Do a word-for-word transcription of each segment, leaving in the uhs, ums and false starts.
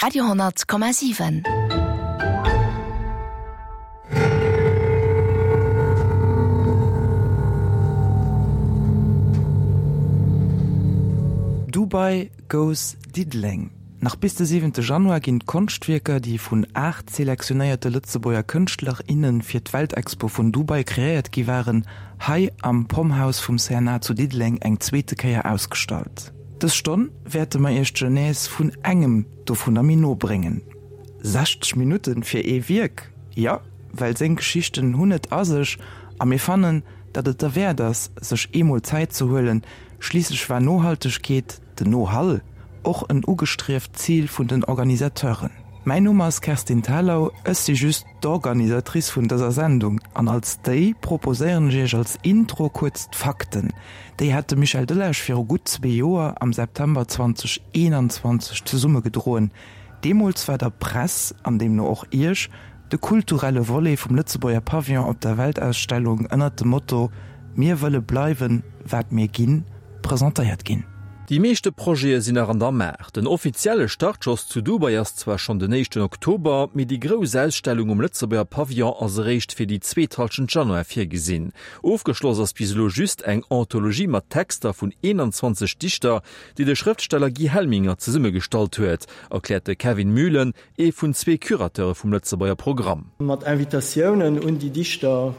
Radio hundert Komma siwen. Dubai goes Diddeleng. Nach bis de siwente Januar ginn d'Konschtwierker, déi vun aacht selektionéierte Lëtzebuerger Kënschtler, innen fir d'Weltexpo vun Dubai kreéiert gi waren, hei am Pomhouse vum C N A zu Diddeleng eng zweete Kéier ausgestallt. Dës Stonn wäerte mer Iech d'Genèse vun engem dovunner méi no bréngen. Sechzeg Minutten fir ee Wierk? Jo, well seng Geschichten hunn et a sech a mir fannen, datt et derwäert ass, sech eemol Zäit ze huelen. Schliisslech war Nohaltegkeet, den Nohall, och en ugestrieft Zil vun den Organisateuren. Mäin Numm ass Kerstin Thalau, ech si just d'Organisatrice vun dëser Sendung an als déi proposéieren ech Iech als Intro kuerz d'Fakten. Déi hat de Michel Delage viru gutt zwee Joer, am September zweedausendeenanzwanzeg zesummegedroen. Deemools war der Press, an deemno och Iech, de kulturelle Volet vum Lëtzebuerger Pavillon op der Weltausstellung ënnert dem Motto Mir wëlle bleiwen, wat mir ginn presentéiert ginn. Déi meeschte Projete sinn nach an der Maach. Den offizielle Startschoss zu Dubai ass zwar schonn den éischten Oktober, mee déi grouss Ausstellung um Lëtzebuerger Pavillon ass eréischt fir déi zweet Hallschent Januar virgesinn. Ofgeschloss ass bis elo just eng Anthologie mat Texter vun eenanzwanzeg Dichter, déi de Schrëftsteller Guy Helminger zesummegestallt huet, erkläert de Kevin Mühlen, ee vun zwee Curateure vum Lëtzebuerger Programm. Mat Invitatiounen un déi Dichter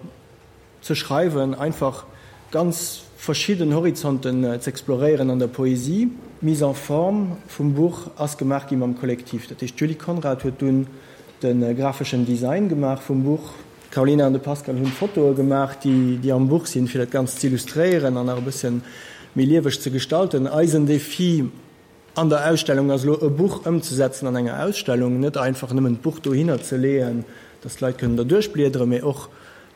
ze schreiwen, einfach ganz verschidden Horizonten z'exploréieren an der Poesie. D'Mise en forme vum Buch ass gemaach gi mam Kollektiv. Dat heescht, d'Julie Conrad huet dunn de grafeschen Design gemaach vum Buch, d'Carolina an de Pascal hunn d'Fotoe gemaach, déi am Buch sinn, fir dat Ganzt z'illustréieren an nach e bësse méi lieweg ze gestalten. Eisen Defi an der Ausstellung ass elo, e Buch ëmzesetzen an enger Ausstellung, net einfach nëmmen d'Buch dohinner ze leeën, dass d'Leit kënnen derduerch bliederen, mee och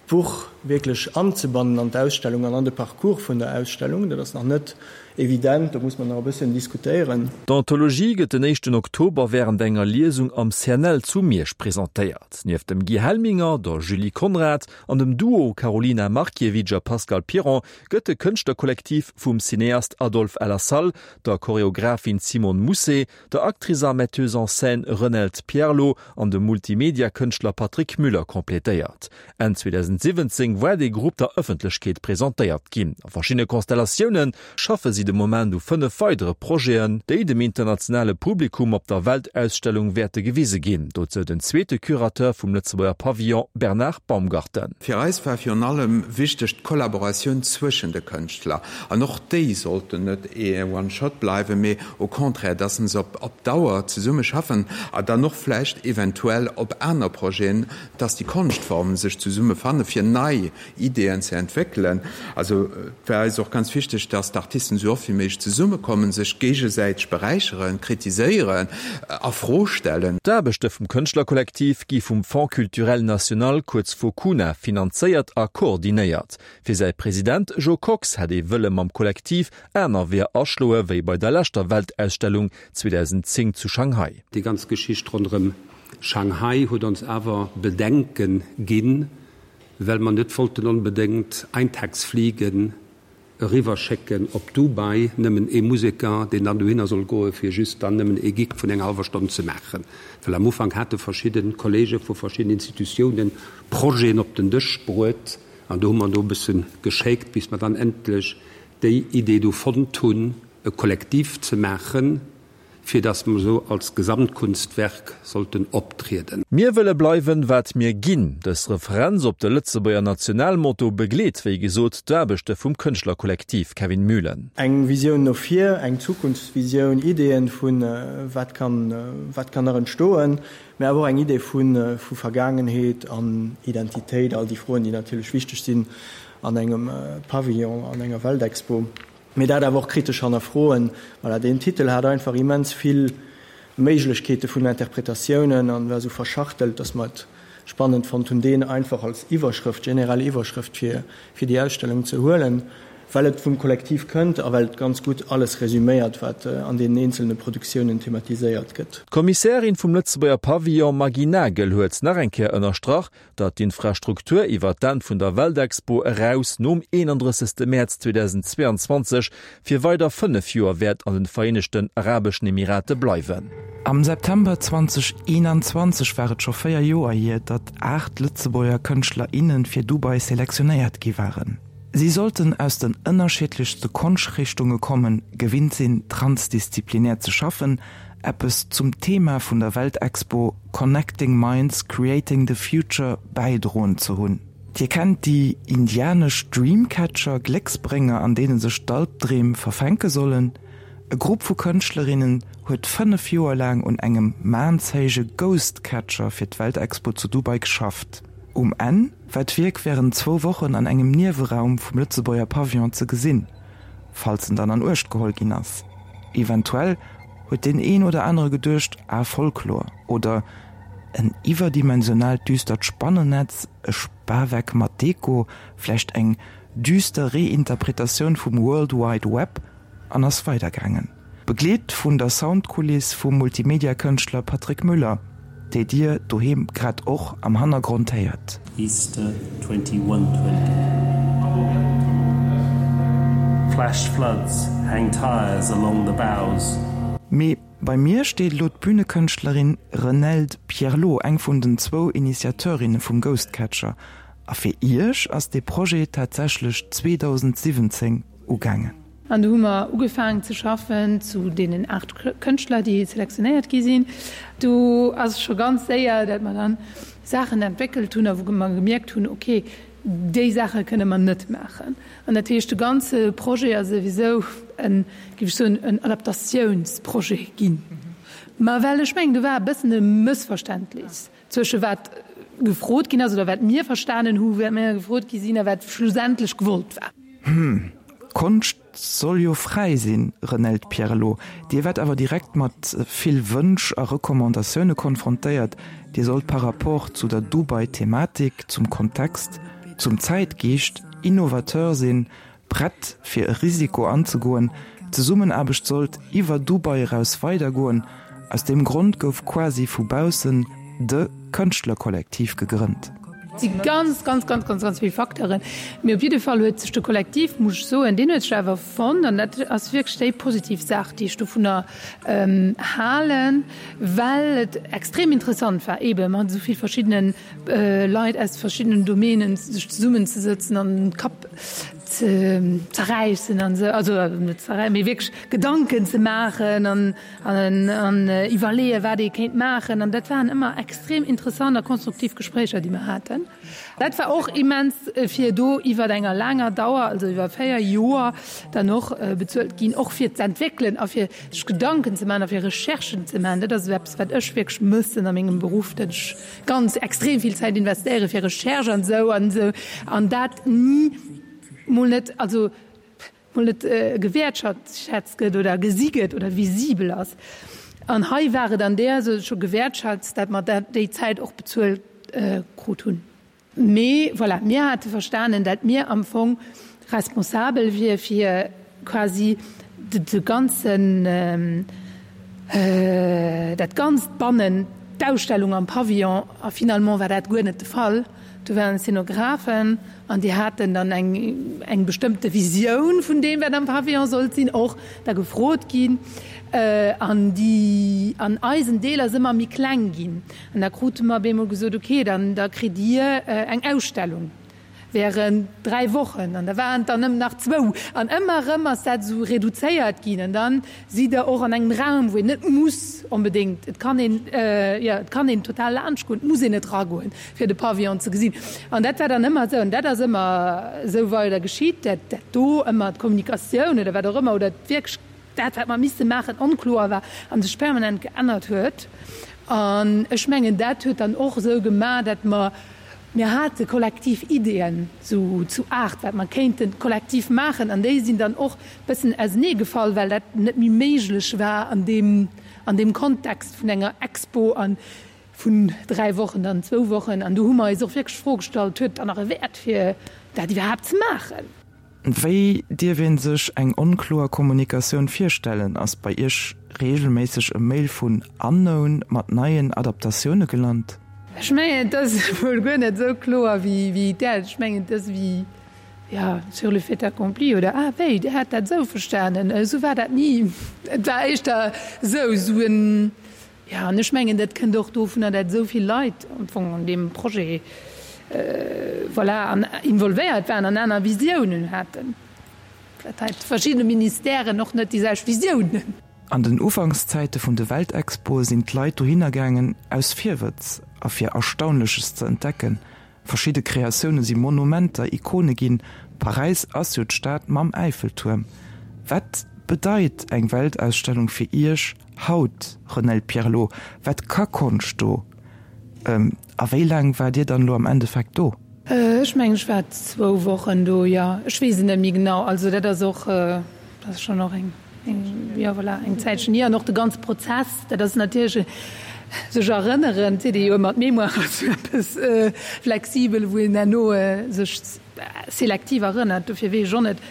d'Buch wierklech anzebannen an d'Ausstellung an an de Parcours vun der Ausstellung. Dat ass nach net evident, do muss mer nach e bësschen diskutéieren. D'Anthologie gëtt den éischten Oktober wärend enger Liesung am C N L zu Miersch presentéiert. Nieft dem Guy Helminger, der Julie Conrad an dem Duo Karolina Markiewicz a Pascal Piron gëtt de Kënschtlerkollektiv vum Cineast Adolphe El Assal, der Choreographin Simone Mousset, der Actrice a Metteuse en scène Renelde Pierlot an dem Multimedia-Kënschtler Patrick Müller completéiert. Enn zweedausendsiwwenzéng war de Grupp der Ëffentlechkeet presentéiert ginn. A verschiddene Konstellatioune schaffe si de Moment u fënnef weidere Projeten, déi dem internationale Publikum op der Weltausstellung wäerte gewise ginn. Dozou den zweete Curateur vum Lëtzebuerger Pavillon Bernard Baumgarten. Fir eis war virun allem wichteg d'Kollaboratioun zwëschen de Kënschtler. An och déi sollten net ee One-Shot bleiwen, mee au contraire, dass se op op Dauer zesumme schaffen a dann och vläicht eventuell op aner Projeten, dass déi Konschtformen sech zesumme fanne fir nei Ideeën ze entwéckelen. Also et war eis och ganz wichteg, dass d'Artisten esou oft wéi méiglech zesummekommen, sech géigesäiteg beräicheren, kritiséieren, a Fro stellen. D'Aarbechte vum Kënschtlerkollektiv gi vum Fonds culturel national, kuerz FOCUNA, finanzéiert a koordinéiert. Fir säi President Jo Kox hätt ee wëlle mam Kollektiv aner Weeër aschloe wéi bei der leschter Weltausstellung zweedausendzéng zu Shanghai. Déi ganz Geschicht ronderëm Shanghai huet ons awer Bedenke ginn, well mer net wollten onbedéngt Eintagsfliegen eriwwerschécken op Dubai, nëmmen ee Museker, deen dann dohinner soll goe fir just dann nëmmen ee Gig vun enger hallwer Stonn ze maachen. Well am Ufank hate verschidde Kollege vu verschiddenen Institutiounen Projeten op den Dësch bruet an do hu mer do e bësse geschéckt, bis mer dann endlech déi Idee do fonnt hunn, e Kollektiv ze maachen, fir dass mer esou als Gesamtkunstwerk sollten optrieden. Mir wëlle bleiwen, wat mir ginn. Dës Referenz op de Lëtzebuerger Nationalmotto begleet, wéi gesot, d'Aarbechte vum Kënschtlerkollektiv. Kevin Mühlen. Eng Visioun no vir, eng Zukunftsvisioun, Ideeën vun wat kann, wat kann nach entstoen, mä awer och eng Idee vu vu Vergaangenheet an Identitéit, all déi Froen, déi natierlech wichteg sinn an engem Pavillon, an enger Weltexpo. Mee dat awer och kritesch hannerfroen. Voilà, deen Titel hat einfach immens vill Méiglechkeete vun Interpretatiounen an war esou verschachtelt, dass mer et spannend fonnt hunn, deen einfach als Iwwerschrëft, generell Iwwerschrëft fir fir déi Ausstellung ze huelen. well et vum Kollektiv kënnt a well et ganz gutt alles resüméiert, wat an deenen eenzelne Produktiounen thematiséiert gëtt. D'Kommissärin vum Lëtzebuerger Pavillon Maggy Nagel huet nach eng Kéier ënnerstrach, datt d'Infrastruktur iwwer d'Enn vun der Weltexpo eraus nom eenandrëssegste Mäerz zweedausendzweeanzwanzeg fir weider fënnef Joer wäert an den Vereenegten Arabeschen Emirate bleiwen. Am September zweedausendeenanzwanzeg war et scho véier Joer hier, datt aacht Lëtzebuerger Kënschtler, inne fir Dubai selektionéiert gi waren. Si sollten aus den ënnerschiddlechste Konschtrichtunge kommen, gewinnt sinn, transdisziplinär ze schaffen, eppes zum Thema vun der Weltexpo Connecting Minds, Creating the Future bäidroen ze hunn. Dir kennt déi indianesch Dreamcatcher, Glécksbrénger, an deene sech d'Albdreem verfänke sollen. E Grupp vu Kënschtlerinnen huet fënnef Joer laang un engem maanshéije Ghost Catcher fir d'Weltexpo zu Dubai geschafft. Um Enn war d'Wierk wärend zwou Wochen an engem Nieweraum vum Lëtzebuerger Pavillon ze gesinn, falls en dann an Uecht geholl ginn ass. Eventuell huet deen een oder anere geduecht, ah, Folklor oder en iwwerdimensionaalt düstert Spannennetz, e Spaweck mat Deko, vläicht eng düster Reinterpretatioun vum World Wide Web, an ass weidergaangen. Begleet vun der Soundkuliss vum Multimedia-Kënschtler Patrick Müller, déi Dir doheem grad och am Hannergrond héiert. Easter twenty one twenty Flash floods hang tires along the bows. Mee bei mir steet elo d'Bünekënschtlerin Renelde Pierlot, eng vun den zwou Initiateurinne vum Ghost Catcher. A fir Iech ass dee Projet tatsächlech zweedausendsiwwenzéng ugaangen. An do hu mer ugefaangen ze schaffen zu deenen aacht Kënschtler, déi selektionéiert gi sinn. Do ass scho ganz séier, datt mer dann Saachen entwéckelt hunn a wou mer gemierkt hunn, okay, déi Saache kënne mer net maachen. An dat heescht, de ganze Projet ass souwisou en, géif ech soen, en Adaptatiounsprojet ginn. Mä well ech mengen, do war e bëssen e Mëssverständnis zwësche wat gefrot ginn ass oder wat mir verstanen hu wat mir gefrot gi sinn a wat schlussendlech gewollt war. Hm, Konscht soll jo fräi sinn, Renelde Pierlot. Dir waart awer direkt mat vill Wënsch a Recommandatioune konfrontéiert. Dir sollt par rapport zu der Dubai-Thematik, zum Kontext, zum Zäitgeescht Innovateur sinn, prett fir e Risiko anzegoen. D'Zesummenaarbecht sollt iwwer Dubai eraus weidergoen. Aus deem Grond gouf quasi vu baussen de Kënschtlerkollektiv gegrënnt. Et si ganz, ganz, ganz, ganz, ganz vill Facteuren. Mee op jidde Fall huet sech de Kollektiv, muss ech soen, deen huet sech awer fonnt an dat ass wierklech déi positiv Saach, déi ech dovunner halen, well et extrem interessant war, eebe mat esou vill verschiddene Leit aus verschiddenen Domänen sech zesummenzesëtzen an den Kapp ze zerräissen an esou, also net zerräissen, mee wierklech Gedanken ze maachen an an iwwerleeën, wat ee kéint maachen. An dat waren ëmmer extrem interessant a konstruktiv Gespréicher, déi mer haten. Dat war och immens, fir do iwwer enger laanger Dauer, also iwwer véier Joer, dann och bezuelt ginn, och fir z'entwéckelen a fir sech Gedanken ze maachen a fir Recherchen ze maachen. Dat ass esou eppes, wat ech wierklech mëssen a mengem Beruff, datt ech ganz extrem vill Zäit investéiere fir Recherche an esou an esou an dat ni mol net, also mol net gewäertschätzt gëtt oder gesi gëtt oder visibel ass. An hei war et an där Sou scho gewäertschätzt, dat mer dat déi Zäit och bezuelt krut hunn. Mee voilà, mir hate verstanen, dat mir am Fong responsabel wier fir quasi de ganzen, dat Ganzt bannen d'Ausstellung am Pavillon. A finalement war dat guer net de Fall. Do waren Szenografen an déi haten dann eng eng bestëmmte Visioun vun deem, wat am Pavillon sollt sinn, och da gefrot ginn. An déi an eisen Deel ass ëmmer méi kleng ginn. An da krute mer op eemol gesot, okay, dann da kritt Dir eng Ausstellung während dräi Wochen. An da waren et dann nëmmen nach zwou. An ëmmer erëm ass dat esou reduzéiert ginn. An da sidd Der och an engem Raum, wou een net muss onbedéngt, et kann een, jo, et kann een total laanscht goen, et muss een net eragoen, fir de Pavillon ze gesinn. An dat war dann ëmmer esou. An dat ass ëmmer esou weider geschitt, dat dat do ëmmer d'Kommunikatioun oder wat och ëmmer oder wierklech dat, wat mer misse maachen, onkloer war a sech permanent geännert huet. An ech mengen, dat huet dann och esou gemaach, dat mer, mir hate kollektiv Ideeën, sou zu aacht, wat mer kéinte kollektiv maachen, an déi sinn dann och e bëssen auseneegefall, well dat net méi méiglech war an deem, an deem Kontext vun enger Expo a vun dräi Wochen dann zwou Wochen. An do hu mer eis och wierklech d'Fro gestallt, Huet et dann nach e Wäert, fir dat iwwerhaapt ze maachen? Wéi dierf een sech eng onkloer Kommunikatioun virstellen? Ass bei Iech reegelméisseg e Mail vun Unknown mat neien Adaptatioune gelant? Ech mengen, et ass wuel guer net esou kloer wéi dat. Ech mengen, et ass wéi, jo, sur le fait accompli oder ah wéi, Dir hat dat esou verstanen, esou war dat ni. Et war éischter esou, esou en, jo, an ech mengen, dat kënnt och dovunner, dat esou vill Leit am Fong an deem Projet, voilà, an involvéiert waren an aner Visiounen haten. Vläicht hat verschidde Ministèren och net déi selwecht Visiounen. An den Ufankszäite vun de Weltexpoe sinn d'Leit dohinner gaangen aus Virwëtz a fir Erstaunleches ze entdecken. Verschidde Kreatioune si Monumenter, Ikone ginn. Paräis ass jo d'Stad mam Äiffeltuerm. Wat bedeit eng Weltausstellung fir Iech haut, Renelde Pierlot? Wat ka Konscht do? A wéi laang waart Dir dann elo am Endeffekt do? Ech mengen, ech war zwou Wochen do, jo. Ech weess et net méi genau. Also dat ass och, dat ass schonn och eng, jo voilà, eng Zäitchen hier. An och de ganze Prozess, dat ass natierlech, sech erënneren, seet ee jo ëmmer, d'Mémoire ass jo eppes flexibel, wou een herno sech selektiv erënnert. Dofir weess ech och net,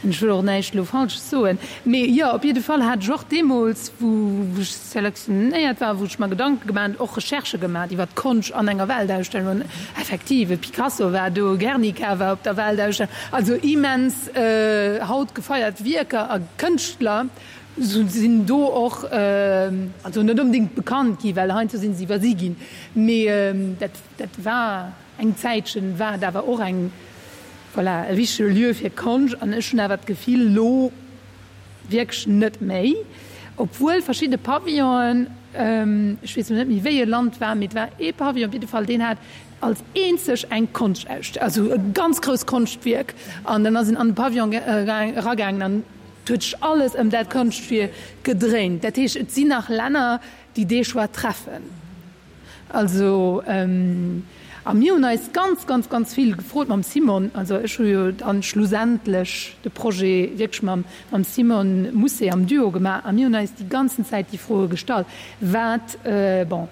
an ech wëll och näischt elo Falsches soen, mee jo, op jidde Fall hat ech och deemools, wou ech selektionéiert war, wou ech mer Gedanke gemaach hunn, och Recherchë gemaach iwwer d'Konscht an enger Weltausstellung. An effektiv, e Picasso war do, Guernica war op der Weltausstellung, also immens haut gefeiert Wierker a Kënschtler sinn do och, also net onbedéngt bekannt gi, well heiansdo si se iwwersi ginn, mee dat, dat war eng Zäitchen, war et awer och eng, Voilà, e wichtege Lieu fir Konscht an ech hunn awer d'Gefill, lo wierklech net méi, obwuel verschidde Pavillonen, ech weess lo net méi wéi e Land war, mee et war ee Pavillon op jidde Fall, deen hat als eenzeg eng Konschtausstellung, also e ganz grousst Konschtwierk an dann ass een an de Pavillon eragaangen an et huet sech alles ëm dat Konschtwierk gedréint. Dat heescht, et sinn nach Länner, déi dee Choix treffen. Also, a mir hunn eis ganz, ganz, ganz vill gefrot mam Simon, also ech hu jo dann schlussendlech de Projet wierklech mam, mam Simon Mousset am Duo gemaach a mir hunn eis déi ganzen Zäit déi Froe gestallt, wat, bon,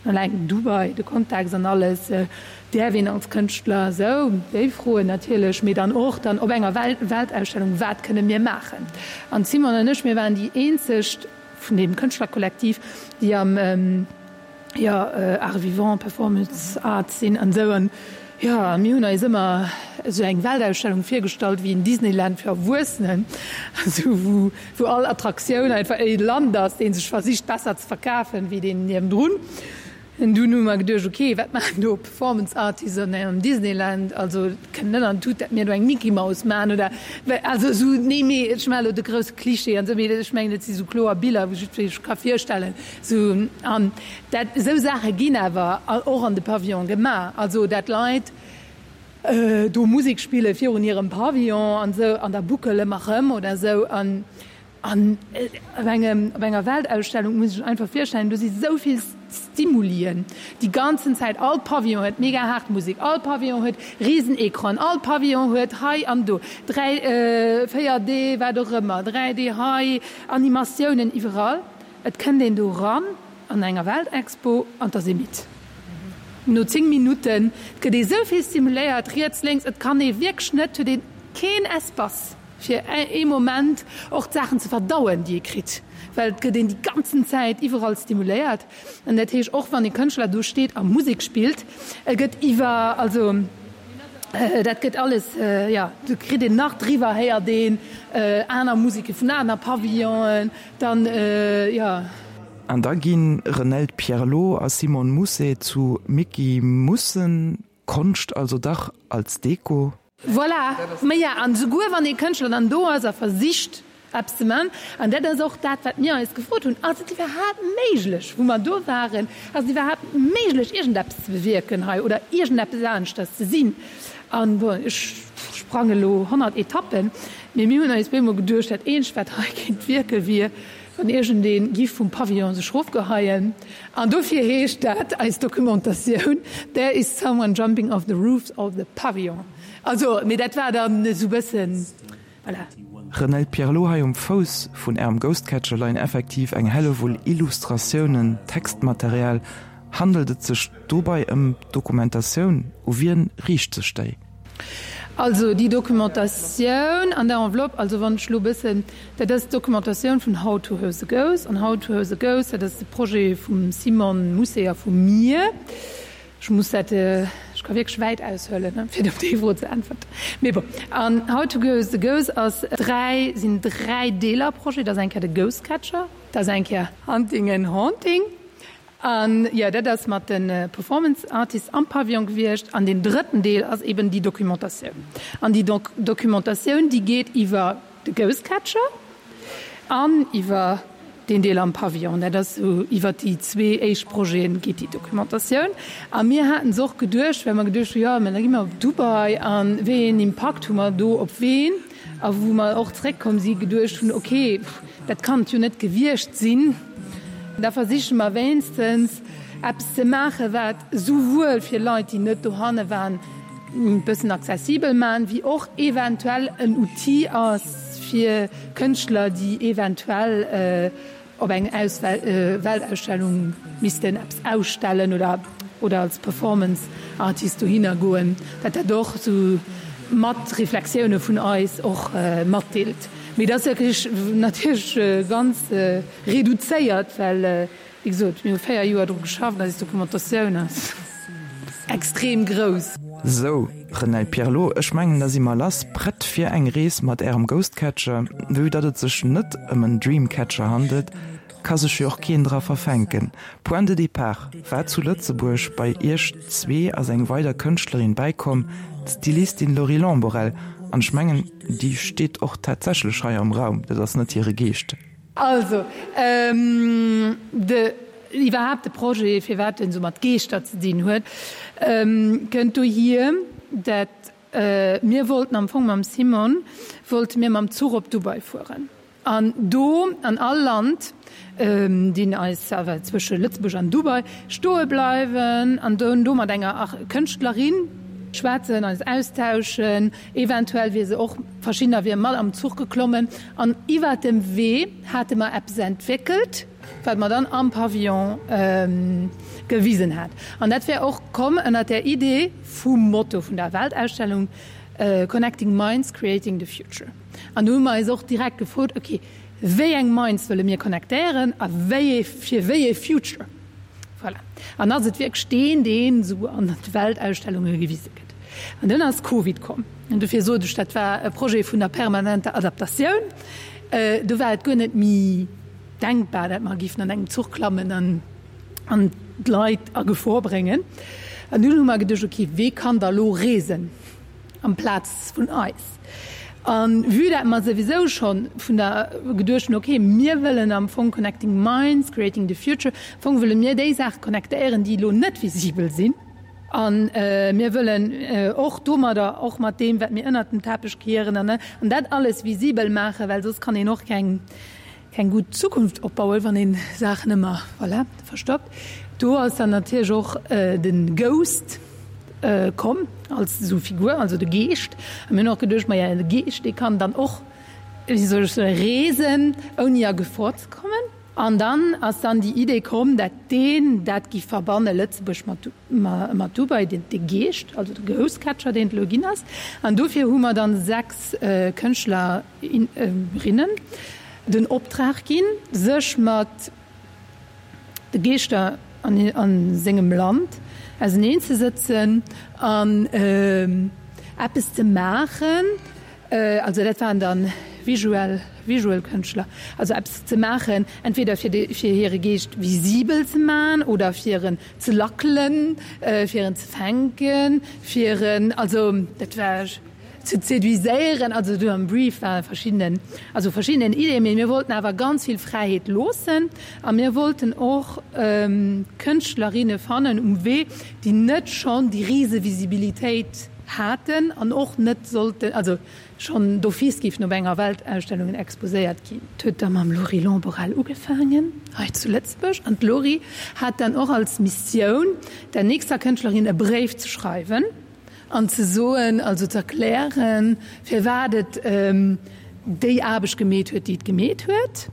eleng Dubai, de Kontext an alles, däerf een als Kënschtler esou, déi Froen natierlech, mee dann och dann op enger Weltausstellung, wat kënne mir maachen? An d'Simon an ech, mir waren déi eenzeg vun deem Kënschtlerkollektiv, déi am, jo, Art vivant, Performance Art sinn an esou. An jo, a mir hunn eis ëmmer esou eng Weltausstellung virgestallt wéi en Disneyland fir Erwuessenen, esou wou, wou all Attraktioun einfach e Land ass, dee sech versicht besser ze verkafen wéi deen niewendrun. An dunn hu mer geduecht, ok, wat maachen do Performance Artists an engem Disneyland? Also et kënnt net an d'Tut, datt mir do eng Mickey Mouse maachen oder also esou. Nee, mee ech maachen elo de grousse Cliché an esou, mee ech mengen, et si sou kloer Biller, wou jiddweree sech ka virstellen. Sou, an dat, esou Saache ginn awer och an de Pavillone gemaach, also dat Leit do Musek spille virun hirem Pavillon an esou an da buckele mer erëm oder esou. An An op engem, op enger Weltausstellung muss ech einfach virstellen, do si sou vill Stimulien déi ganzen Zäit. All Pavillon huet mega haart Musek, all Pavillon huet Risenecranen, all Pavillon huet hei an do dräi, véier D, wat och ëmmer, dräi D hei, Animatiounen iwwerall. Et kënnt een do ran an enger Weltexpo an 't ass ee midd no zéng Minutten. Et gëtt ee sou vill stimuléiert, riets, lénks, et kann ee wierklech net, huet ee keen Espace. Fir ee Moment och d'Saachen ze verdauen, déi ee kritt, well et gëtt een déi ganzen Zäit iwwerall stimuléiert. An dat heescht, och wann e Kënschtler do steet a Musek spillt, e gëtt iwwer, also dat gëtt alles, jo, do kritt een nach driwwer, héiert een aner Museke vun aner Pavillonen, dann, jo. An da gi Renelde Pierlot a Simone Mousset zu Micky Mussen, Konscht also dach als Deko? Voilà, maja, an esouguer wann ee Kënschtler dann do ass a versicht eppes ze man, an dat ass och dat, wat mir eis gefrot hunn, Ass et iwwerhaapt méiglech, wou mer do waren, ass et iwwerhaapt méiglech, iergendeppes ze bewierken hei oder iergendeppes aneschters ze sinn? An, bon, ech sprange elo honnert Etappen, mee mir hunn eis bemol geduecht, dat eenzegt, wat hei kéint wierken, wier, wann iergendee giff vum Pavillon sech rofgeheien. An dofir heescht dat eis Documentatioun, There is someone jumping off the roof of the pavillon. Also, mee dat war dann esou bëssen, voilà. Renelde Pierlot, Hei um Fouss vun Ärem Ghostcatcher leien effektiv eng Hellewull Illustratiounen, Textmaterial. Handelt et sech dobei ëm Dokumentatioun? U wien riicht sech déi? Also déi Documentatioun an der Enveloppe, also wann ech elo e bëssen, dat ass d'Documentatioun vun How to House a Ghost. An How to House a Ghost, dat ass de Projet vum Simon Mousset a vu mir. Ech muss dat, ech ka wierklech wäit aushuelen, ne, fir op déi Fro ze äntwerten. Mee bon, an How to House a Ghost ass dräi, sinn dräi Deeler Projet. Dat ass eng Kéier de Ghost Catcher, dat ass eng Kéier Hunting and Haunting an, jo, dat ass mat de Performance Artists am Pavillon gewiescht. An deen drëtten Deel ass eben déi Documentatioun. An déi Documentatioun, déi geet iwwer de Ghost Catcher an iwwer deen Deel am Pavillon. Dat ass esou, iwwer déi zwee éischt Projete geet déi Documentatioun. A mir haten se och geduecht, well mer geduecht hu, jo, mä da gi mer op Dubai a wéi een Impakt hu mer do op ween? A wou mer och zréckkomm si geduecht hunn, okay, dat kann et jo net gewiescht sinn, da versiche mer wéinstens eppes ze maachen, wat souwuel fir Leit, déi net dohanne waren, e bëssen accessibel maachen, wéi och eventuell en Outil ass fir Kënschtler, déi eventuell op eng Weltausstellung missten eppes ausstellen oder oder als Performance Artist dohinner goen, dat dat och esou mat Reflexioune vun eis och matdeelt. Mee dat ass wierklech natierlech ganz reduzéiert, well Wéi gesot, mir hu véier Joer dru geschafft, eis Dokumentatioun ass extrem grouss. Sou, Renelle Pierlot, ech mengen da si mer lass, prett fir eng Rees mat Ärem Ghostcatcher. Vue datt et sech net ëm en Dreamcatcher handelt, ka sech jo och keen dra verfänken. Point de départ war zu Lëtzebuerg, bei Iech zwee ass eng weider Kënschtlerin bäikomm, d'Stylistin Laurie Lamborelle. An ech mengen, déi steet och tatsächlech hei am Raum, dat ass net hire Geescht. Also, de, iwwerhaapt de Projet, firwat en esou mat Geeschter ze dinn huet, kënnt dohier, dat mir wollten am Fong mam Simon, wollte mir mam Zuch op Dubai fueren an do an all Land, deen eis awer zwësche Lëtzebuerg an Dubai, stoe bleiwen an do mat enger Kënschtlerin schwätzen, eis austauschen. Eventuell wier se och, verschiddener wiere mat am Zuch geklommen an iwwert dem Wee hate mer eppes entwéckelt, wat mer dann am Pavillon gewisen hat. An dat wär och komm ënnert der Idee vum Motto vun der Weltausstellung Connecting Minds, Creating the Future. An do hu mer eis och direkt gefrot, ok, wéi eng Minds wëlle mir connectéieren a wéi ee, fir wéi ee Future? Voilà. An ass et wierklech deen, deen esou an de Weltausstellunge gewise gëtt? An dunn ass Covid komm. An dofir sot ech, dat war e Projet vun der permanenter Adaptatioun. Do war et guer net méi denkbar, dat mer géifen an engem Zuch klammen an an d'Leit a Gefor bréngen. An dunn hu mer geduecht, okay, wee kann da lo reesen amplaz vun eis? A vue dat mer souwisou scho vun der geduecht hunn, okay, mir wëllen am Fong Connecting Minds, Creating the Future, am Fong wëlle mir déi Saache connectéieren, déi elo net visibel sinn. A mir wëllen och domadder, och mat deem, wat mir ënnert den Teppech kieren an dat alles visibel maachen, well soss kann een och keng, keng gutt Zukunft opbauen, wann een Saachen ëmmer, voilà, verstoppt. Do ass dann natierlech och de Ghost komm als esou Figur, also de Geescht. A mir hunn och geduecht, maja, de Geescht, dee kann dann och, wéi soll ech soen, reesen, ouni a Gefor ze kommen. An dann ass dann déi Idee komm, dat deen dat giff verbanne, Lëtzebuerg mat, mat Dubai, deen, de Geescht, also de Ghost Catcher, deen et elo ginn ass. An dofir hu mer dann sechs Kënschtler, rinnen den Optrag ginn, sech mat de Geeschter a sengem Land auseneen ze sëtzen an eppes ze maachen, also dat waren dann visuell visual Kënschtler, also eppes ze maachen, entweder fir de fir hire Geescht visibel ze man oder fir en ze lackelen, fir en ze fänken, fir en, also dat war. Ze séduiséieren. Also do am Brief ware verschiddenen, also verschiddenen Ideeën, mee mir wollten awer ganz vill Fräiheet loossen a mir wollten och Kënschtlerinne fannen um Wee, déi net schonn déi rise Visibilitéit haten an och net sollten, also schonn d'office géifen op enger Weltausstellungen exposéiert ginn. Et huet da mam Laurie Lamborelle ugefaangen hei zu Lëtzebuerg an d'Laurie hat dann och als Missioun, der nächster Kënschtlerin e Bréif ze schreiwen, An ze soen, also ze erklären, firwat et déi Aarbecht gemeet huet, déi et gemeet huet.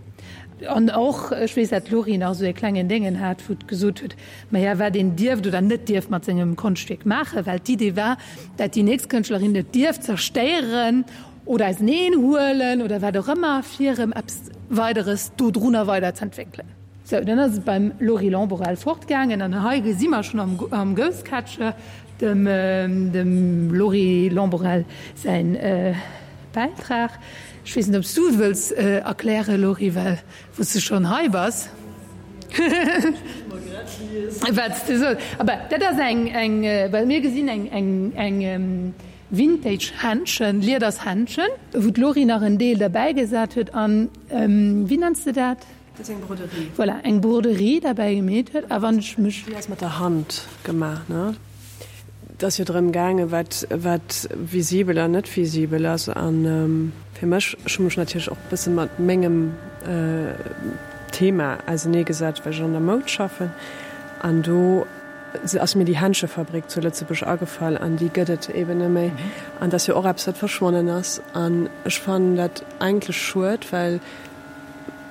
An och, ech weess, dat d'Laurie nach esou e klengen Déngen hat, wou gesot huet, maja, wat een dierft oder net dierft mat sengem Konschtwierk maachen, well d'Idee war, dat déi nächst Kënschtlerin et dierft zerstéieren oder auseneen huelen oder wat och ëmmer, fir erëm eppes Weideres dodrunner weiderz'entwéckelen. Sou, dann ass et beim Laurie Lamborelle fortgaangen an hei gesi mer schonn am, am Ghostcatcher dem, dem Laurie Lamborelle säin Bäitrag. Ech weess net, ob s du et wëlls erklären, Laurie, well wou s de schonn hei bass. Wat s de soss. Aber dat ass eng, eng, well mir gesinn eng, eng, eng Vintage Händschen, Lieders Händschen, wou d'Laurie nach en Deel derbäigesat huet an, wéi nenns de dat? Dat ass eng Broderie. Voilà, eng Broderie derbäi gemeet huet. A wann ech mech. Déi ass mat der Hand gemaach, ne? Et ass jo drëm gaangen, wat, wat visibel an net visibel ass. A fir mech, ech hu mech natierlech och e bësse mat mengem Thema auseneegesat, well ech an der Moud schaffen. An do ass mir déi Händschefabrik zu Lëtzebuerg agefall an déi gëtt et eeben net méi. An dat ass jo och eppes, wat verschwonnen ass. An ech fannen dat eigentlech schued, well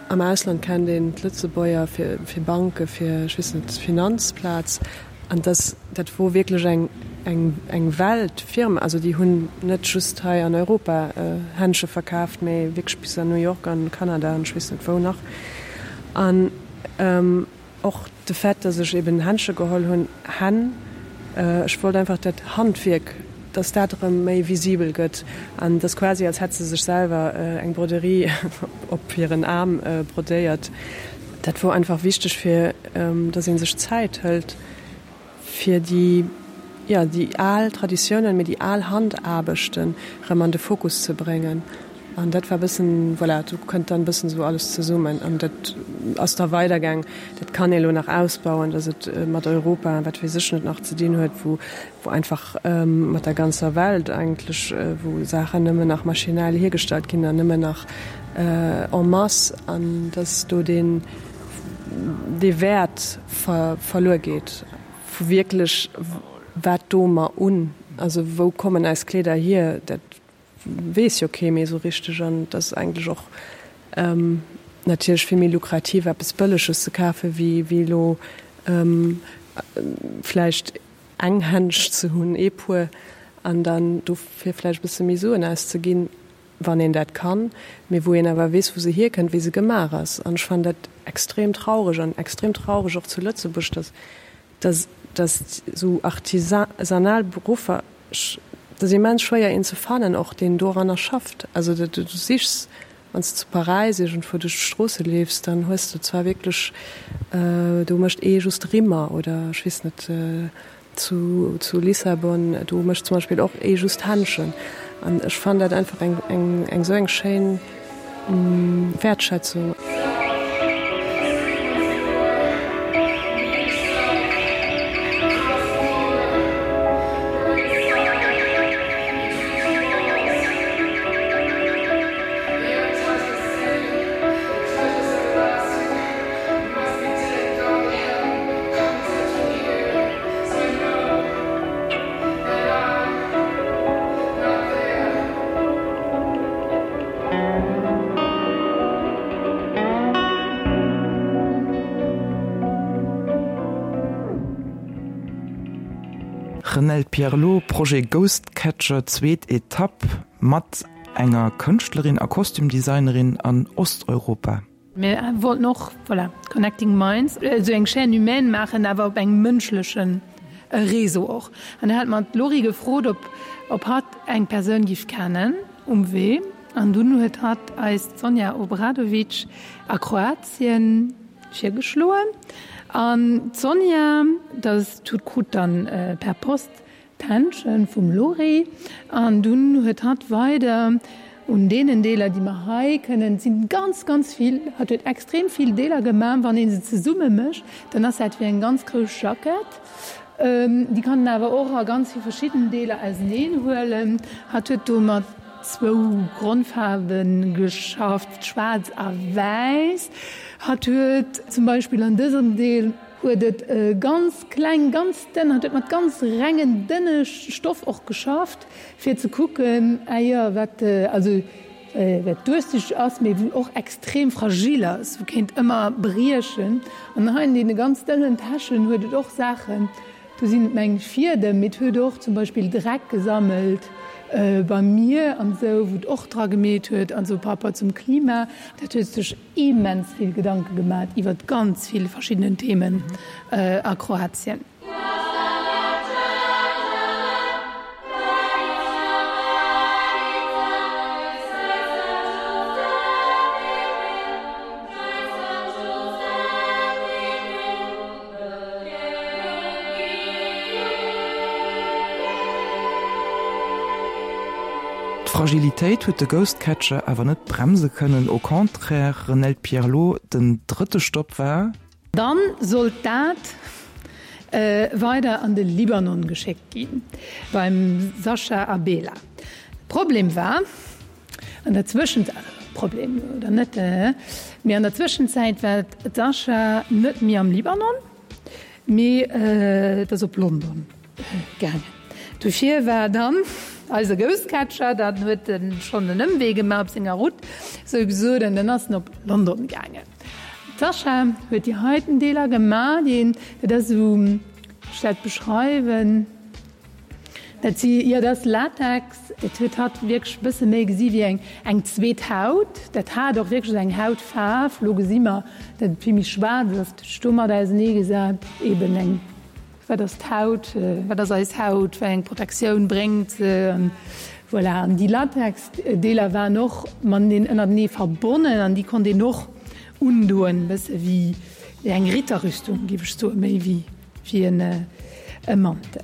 am Ausland kennt een d'Lëtzebuerger fir, fir Banke, fir, ech weess net, d'Finanzplaz. An dass, dat wor wierklech eng, eng, eng Weltfirma. Also déi hunn net just hei an Europa Händche verkaaft, mee wierklech bis an New York an Kanada an ech weess net wou nach. An och de Fait, dass ech eben Händche geholl hunn, Hänn, ech wollt einfach dat Handwierk, dass dat erëm méi visibel gëtt. An et ass quasi, als hätt se sech selwer eng Broderie op hiren Aarm brodéiert. Dat wor einfach wichteg, fir dass ee sech Zäit hëlt, fir déi, jo, déi al Traditiounen, mee déi al Handaarbechten erëm an de Fokus ze bréngen. An dat war e bëssen, voilà, do kënnt dann e bëssen esou alles zesummen. An dat ass da weidergaang. Dat kann ee lo nach ausbauen, dass et mat Europa a wat weess ech net nach ze dinn huet, wou, wou einfach mat der ganzer Welt eigentlech, wou Saachen nëmmen nach maschinell hiergestallt ginn an nëmmen nach en masse, an dass do deen, dee Wäert verluer geet vu wierklech, wat doe mer un, also wou kommen eis Kleeder hier, dat weess jo kee méi esou richteg. An et ass eigentlech och natierlech vill méi lukrativ, eppes Bëlleges ze kafen, wéi elo vläicht eng Händsch ze hunn, ee Puer, an dann dofir vläicht e bësse méi Suen auszeginn, wann een dat kann, mee wou een awer weess, wou se hierkënnt, wéi se gemaach ass. An ech fannen dat extrem traureg an extrem traureg och zu Lëtzebuerg, dass, dass, dass esou artisanal Beruffer, ech, et ass immens schwéier een ze fannen och, deen doranner schafft. Also du, du sichs, wann s de zu Paräis iergendwou duerch d'Stroosse leefs, dann hues de zwar wierklech, do mécht ee just Rimmer oder ech weess net, Zu, zu Lissabon, do mécht zum Beispill och ee just Händschen. An ech fannen dat einfach eng, eng, eng esou eng schéin Wäertschätzung. Renelle Pierlot, Projet Ghostcatcher, zweet Etapp mat enger Kënschtlerin a Kostümdesignerin an Osteuropa. Mir wollten och, voilà, Connecting Minds, esou eng Chaîne humaine maachen, awer op engem mënschleche Réseau och. An da hat mer d'Laurie gefrot, ob, ob hatt eng Persoun giff kennen um Wee. An dunn huet hatt eis d'Sonja Obradovic a Kroatien virgeschloen. An d'Sonja, dat huet krut dann per Post D'Händschen vum Lori an dunn huet hatt weider un deenen Deeler, déi mer hei kënnen, et sinn ganz, ganz vill, hatt huet extrem vill Deeler gemaach, wann ee se zesumme mécht, dann ass dat wéi eng ganz grouss Jackett. Déi kann een awer och a ganz vill verschidden Deeler auseneen huelen. Hatt huet do mat zwou Grondfaarwe geschafft, schwaarz a wäiss. Hatt huet zum Beispill an dësem Deel, Huet et ganz kleng, ganz dënn, hat huet mat ganz rengen, dënne Stoff och geschafft, fir ze kucken, ah jo, wat, also wat duerchsichteg ass, mee wou och extrem fragil ass, wou kéint ëmmer briechen. An hei an deene ganz dënnen Täschen huet et och Saachen, do sinn et mengen ech Fiedem, mee et huet och zum Beispill Dreck gesammelt beim Mier an esou, wou et och dra gemeet huet an esou par rapport zum Klima. Dat huet sech immens vill Gedanke gemat iwwert ganz vill verschiddenen Themen a Kroatien. D'Fragilitéit huet de Ghost Catcher awer net bremse kënnen, au contraire, Renelde Pierlot, den drëtte Stopp war. Dann sollt dat weider an de Libanon geschéckt ginn, beim Sascha Abela. Problem war, an der Zwëschenzäit, also Problem oder net, mee an der Zwëschenzäit war d'Sascha net méi am Libanon, mee et ass op London gaangen. Dofir war dann eise Ghostcatcher, dann huet en schonn en Ëmwee gemaach op senger Route, sou gesot, an dann ass en op London gaangen. D'Sascha huet déi heiten Deeler gemaach, déi, dat ass esou, wéi soll ech dat beschreiwen, dat si, jo, dat ass Latex, dat huet hatt wierklech e bësse méi gesi wéi eng, eng zweet Haut. Dat hat och wierklech esou eng Hautfaarf. Elo gesi mer, datt et vill méi schwaarz ass. Dat huet sech domat auseneegesat, eben eng. Wat ass d'Haut? Wat ass eis Haut? Wéi eng Protektioun bréngt se? An voilà. An déi Latex-Deeler waren och mateneen ënnertenee verbonnen an déi konnt een och undoen, e bësse wéi eng Ritterrüstung, géif ech soen, méi wéi e Mantel.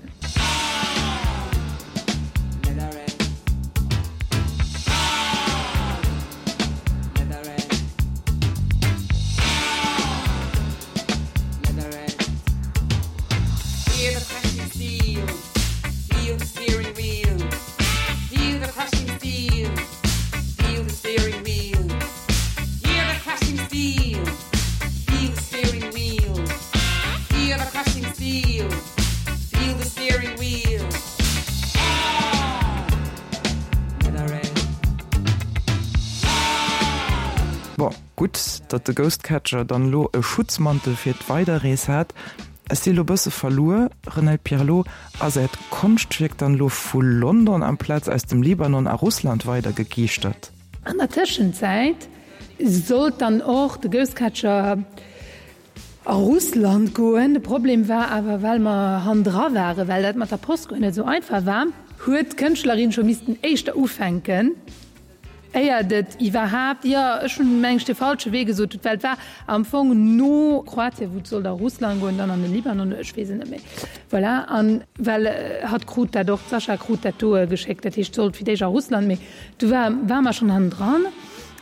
Bon, gutt, datt de Ghostcatcher dann elo e Schutzmantel fir d'Weiderrees hat. Ech si lo bësse verluer, Renelde Pierlot, ass äert Konschtwierk dann elo vu London amplaz aus dem Libanon a Russland weidergegeeschtert? An der Tëschenzäit sollt dann och de Ghostcatcher a Russland goen. De Problem war awer, well mer hannendra waren, well dat mat der Post guer net esou einfach war, huet d'Kënschtlerin scho missten éischter ufänken, éiert et iwwerhaapt, jo, ech hunn, meng ech, de falsche Wee gesot, well et war am Fong no Kroatien, wou et sollt a Russland goen, dann an de Libanon, ech weess et net méi, voilà. An well hatt krut dat och, d'Sascha krut dat do geschéckt, dat heescht, et sollt fir d'éischt a Russland, mee du war, ware mer schonn hannendran.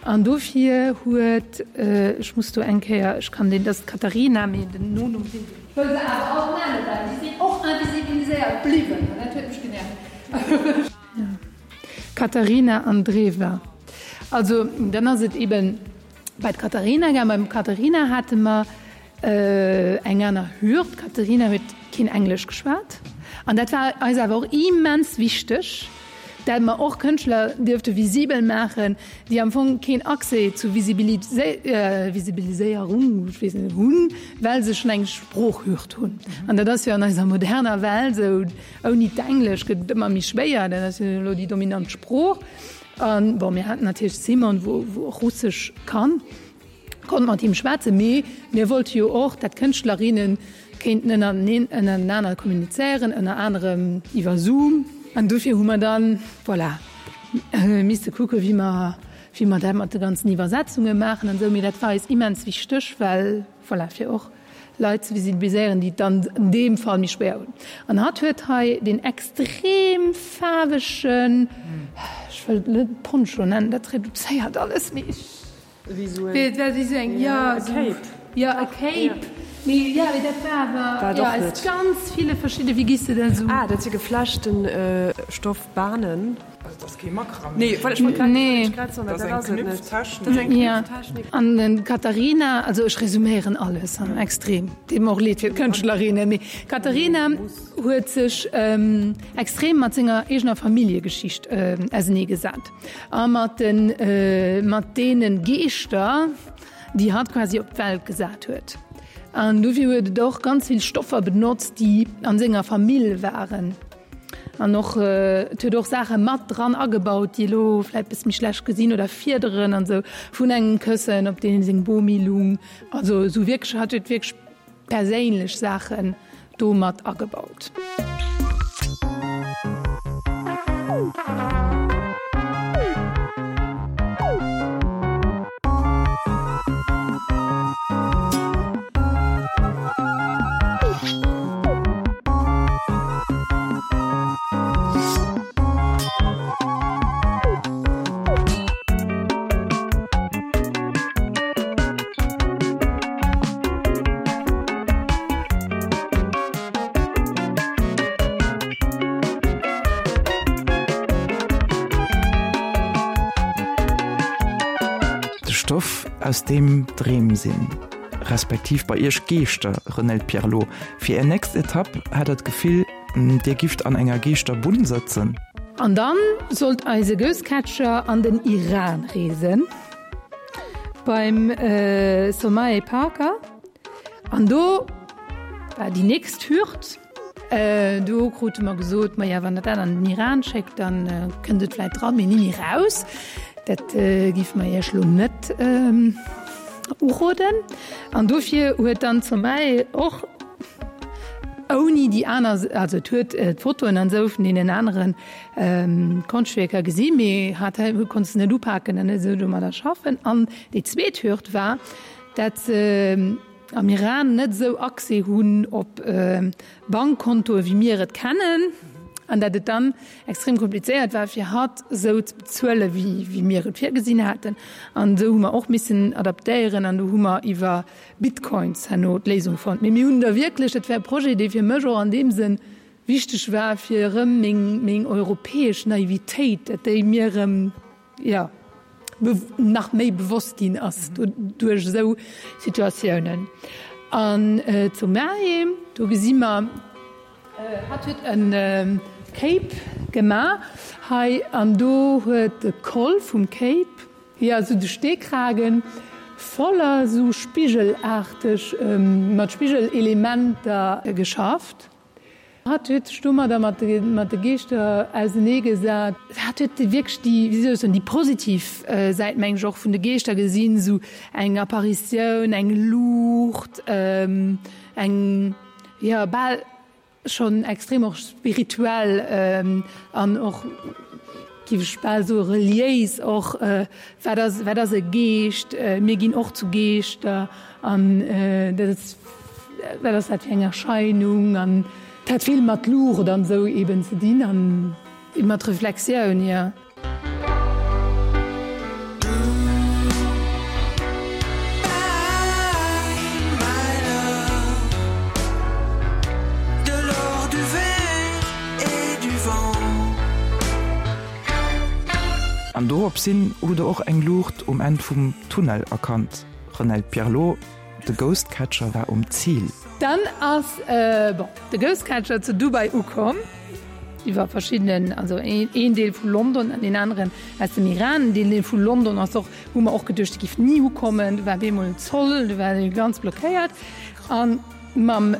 An dofir huet, ech muss do eng Kéier, ech kann deen, dat ass d'Katharina, mee den Nonumm sinn, ech wëll se awer alt nennen, well déi sinn och invisibiliséiert bliwwen an dat huet mech genervt. Katharina Andreeva, Also, dann ass et eben bei d'Katharina gaang. Beim Katharina hate mer eng aner Hürd. D'Katharina huet keen Englesch geschwat an dat war eis awer och immens wichteg, dat mer och Kënschtler dierfte visibel maachen, déi am Fong keen Accès zu Visibiliséierung, ech weess net, hunn, well se schonn eng Sproochhürd hunn. An dat ass jo an eiser moderner Welt esou, ouni d'Englesch gëtt et ëmmer méi schwéier, dat ass jo elo déi dominant Sprooch. An bon, mir haten natierlech Simon, wou och Russesch kann, konnt mat him schwätzen, mee mir wollte jo och, dat Kënschtlerinnen kéinten ënnerteneen, ënnertenaner kommunizéieren, ënner anerem iwwer Zoom. An dofir hu mer dann, voilà, misste kucke wéi mer, wéi mer dat mat de ganzen Iwwersetzunge maachen an esou. Mee dat war eis immens wichteg, well, voilà, fir och Leit ze visibiliséieren, déi et dann an deem Fall méi schwéier hunn. An hatt huet hei deen extrem faarwegen, ech wëll et net Poncho nennen, dat reduzéiert alles, mee ech, Wéi esou et war wéi esou eng, jo, e Cape. Jo, e Cape, mee jo, mee dat war awer, War et jo, och aus net. ganz ville verschidde, wéi giss de dat esou? Ah, dat si geflechten Stoffbahnen. An den Katharina, also ech resuméieren alles extrem, deet mer och leed fir d'Kënschtlerinnen, mee d'Katharina huet sech extrem mat senger eegener Familljegeschicht ausenee gesat a mat den mat deene Geeschter, déi hatt quasi op d'Welt gesat huet. An dofir huet et och ganz vill Stoffer benotzt, déi an senger Famill waren. An och et huet och Saache mat dran agebaut, déi elo vläit bësse méi schlecht gesinn oder Fiederen an esou vun engem Këssen, op deem seng Bomi lung. Also esou wierklech, hatt huet wierklech perséinlech Saachen do mat agebaut. De Stoff, aus deem Dreem sinn, respektiv bei Iech Geeschter, Renelde Pierlot. Fir Är nächst Etapp hat Der d'Gefill, Dir gifft an enger Geeschterbunn sëtzen? An dann sollt eise Ghostcatcher an den Iran reesen, beim Somae Parker. An do war déi nächst Hürd. Do krute mer gesot, maja, wann Der dat an den Iran schéckt, da kënnt et vläit dran, mee ni méi raus. Dat géife mer Iech elo net uroden. An dofir huet dann d'Somae och ouni déi aner, also et huet d'Fotoen an esou vun deenen anere Konschtwierker gesi, mee hat konnt se net upaken an net esou domadder schaffen. An déi zweet Hürd war, dat se am Iran net esou Accès hunn op Bankkontoe wéi mir et kennen, an dat et dann extrem komplizéiert war fir hatt esou ze bezuele wéi mir et virgesinn haten. An esou hu mer och missen adaptéieren an do hu mer iwwer Bitcoins herno d'Léisung fonnt. Mee mir hunn da wierklech, dat war e Projet dee fir mech och an deem Sënn wichteg war, fir erëm meng meng europäesch Naivitéit, dat déi mir erëm, jo, nach méi bewosst ginn ass duerch esou Situatiounen. An zu Mahe, do gesi mer, hatt huet e Cape gemaach hei an do huet de Col vum Cape, jo esou de Steekragen voller esou spigelaarteg, mat Spigelelementer geschafft. Hatt huet sech domadder mat de Geeschter ausenee gesat. Hatt huet wierklech déi, wéi soll ech soen, déi positiv Säit, meng ech, och vun de Geeschter gesinn, esou eng Apparitioun, eng Luucht, eng, jo, bal schonn extrem och spirituell an och, géif ech bal soen, reliéis och. Wat ass, wat ass e Geescht? Mir ginn och zu Geeschter an dat ass, wat ass dat fir eng Erscheinung? An et hat vill mat Luucht an esou eben ze dinn an mat Reflexioun, jo. An dorops hin hutt Der och eng Luucht um Enn vum Tunnel erkannt, Renelde Pierlot. De Ghostcatcher war um Zil. Dann ass, bon, de Ghostcatcher zu Dubai ukomm, iwwer verschiddenen, also een Deel vu London an deen aneren aus dem Iran. Deen Deel vu London ass och, hu mer och geduecht, dee giff ni ukommen. Do war bemol Zoll, do war dee ganz blockéiert. A mam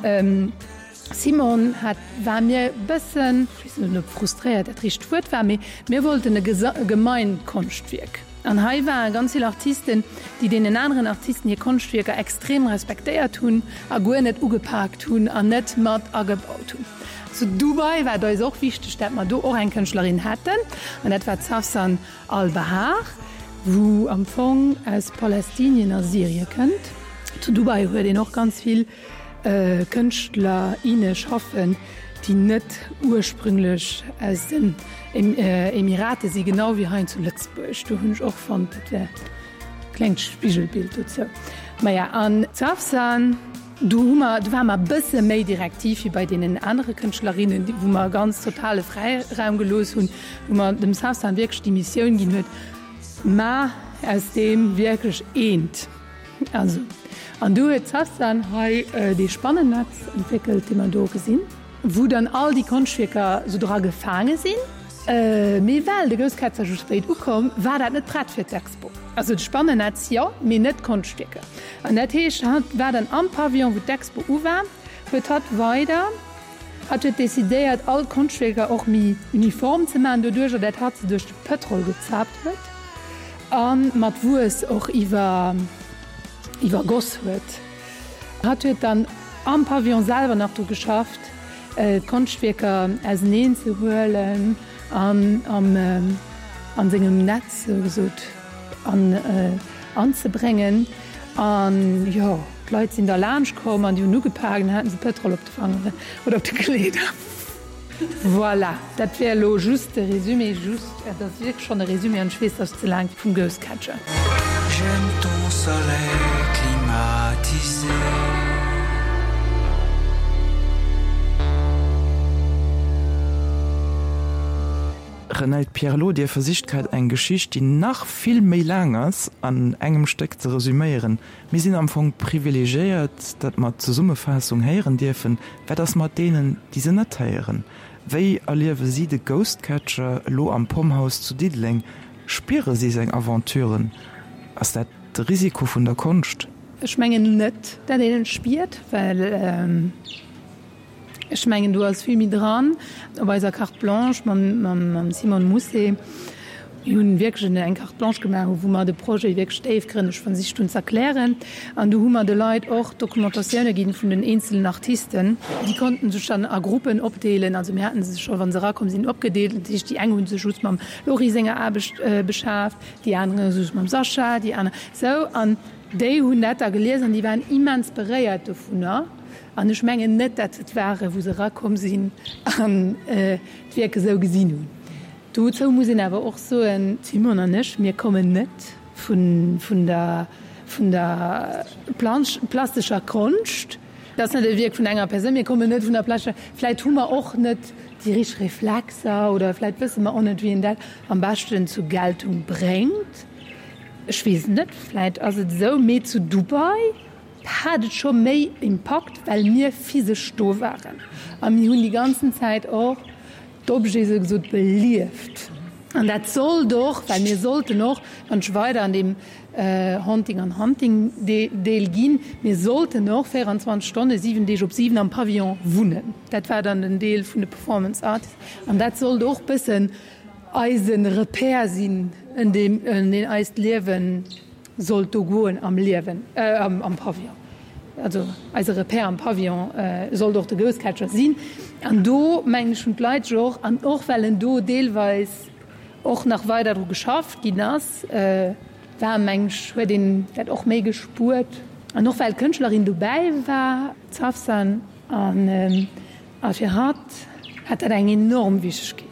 Simon hat, war mir bëssen, ech weess net, ob frustréiert dat richtegt Wuert war, mee mir wollten e gemeint Konschtwierk. An hei ware ganz vill Artisten, déi deenen aneren Artisten hir Konschtwierker extrem respektéiert hunn a guer net ugepaakt hunn an net mat agebaut hunn. Zu Dubai war et eis och wichteg, dat mer do och eng Kënschtlerin hätten, an dat war d'Sawsan Al-Bahar, wou am Fong aus Palästinien a Syrie kënnt. Zu Dubai huet een och ganz vill Kënschtler, inne schaffen, déi net ursprünglech aus den Emirate si, genau wéi hei zu Lëtzebuerg. Do hunn ech och fonnt, dat wär e klengt Spigelbild dozou. Maja, an d'Sawsan Do hu mer, do ware mer e bësse méi direktiv wéi bei deenen anere Kënschtlerinnen, wou mer ganz totale Fräiraum gelooss hunn, wou mer dem Safsan wierklech déi Missioun ginn huet, Maach aus deem wierklech eent. Also, an do huet d'Safsan hei dee Spannennetz entwéckelt, dee mer do gesinn, wou dann all déi Konschtwierker sou dra gefaange sinn. Mee well de Gousskätzer sou spéit ukomm, war dat net prett fir d'Expo. Also de Spannennetz jo, mee net d'Konschtwierker. An dat heescht, hatt war dann am Pavillon, wou d'Expo u war, huet hatt weider, hatt huet decidéiert, all d'Konschtwierker och méi uniform ze maachen, doduercher dat hatt se duerch de Pëtrol gezaapt huet a mat Wuess och iwwer, iwwergoss huet. Hatt huet dann am Pavillon selwer nach dru geschafft, d'Konschtwierker auseneen ze huelen an am sengem Netz sou gesot an anzebréngen. An jo, d'Leit sinn da laanscht komm an déi hunn ugepaakt an haten se Pëtrol op de Fangeren oder op de Kleeder. Voilà, dat wär elo just de Résumé, just, et ass wierklech schonn e Résumé an ech weess, dass ech ze laang vum Ghost Catcher. J'aime ton soleil climatisé. Renelde Pierlot, Dir versicht grad eng Geschicht, déi nach vill méi laang ass, an engem Stéck ze resüméieren. Mir sinn am Fong privilegiéiert, datt mer d'Zesummefaassung héieren dierfen. Wat ass mat deenen, déi se net héieren? Wéi erliewe si de Ghost Catcher elo am Pomhouse zu Diddeleng? Spiere si seng Aventuren? Ass dat de Risiko vun der Konscht? Ech mengen net, dat een et spiert, well ech mengen, do ass vill méi dran. Op eiser Carte blanche mam Simone Mousset, mir hunn wierklech eng Carte blanche gemaach, wou mer de Projet wierklech déifgrënneg versicht hunn ze erklären. An do hu mer de Leit och Dokumentatioune ginn vun den eenzelen Artisten. Déi konnten sech dann a Gruppen opdeelen. Also mir haten se scho, wa se erakomm sinn, opgedeelt. Dat heescht, déi eng hu sech just mam Laurie senger Aarbecht beschaaft, déi aner just mam Sascha, déi aner sou. An déi hunn dat da gelies an déi waren immens beréiert dovunner. An ech mengen net, dat se et waren, wou se erakomm sinn an d'Wierk esou gesinn hunn. Dozou muss een awer och soen, d'Simone an ech, mir kommen net vun der vun der plastescher Konscht. Dat ass net e Wierk vun enger Persoun. Mir kommen net vun der plastescher, vläit hu mer och net déi richteg Reflexer oder vläit wësse mer och net, wéi een dat am beschten zur Geltung bréngt. Ech weess et net, vläit ass et esou. Mee zu Dubai hat et scho méi Impakt, well mir physesch do waren a mir hunn déi ganzen Zäit och d'Objete sou gesot belieft. An dat sollt och, well mir sollten och, wann ech weider an deem Haunting an Hunting Deel ginn, mir sollten och véieranzwanzeg Stonne, siwen Deeg op siwen am Pavillon wunnen. Dat war dann den Deel vun de Performance Artists an dat sollt och bëssen eise Repère sinn, en deem eist Liewen sollt do goen am Liewen, am Pavillon. Also eise Repère am Pavillon sollt och de Ghost Catcher sinn. An do, mengen ech, hunn d'Leit sech och, an och well en do deelweis och nach weider dru geschafft ginn ass, war, mengen ech, huet een dat och méi gespuert. An och well d'Kënschtlerin dobäi war, d'Safsan, an a fir hatt hat dat eng enorm Wichtegkeet.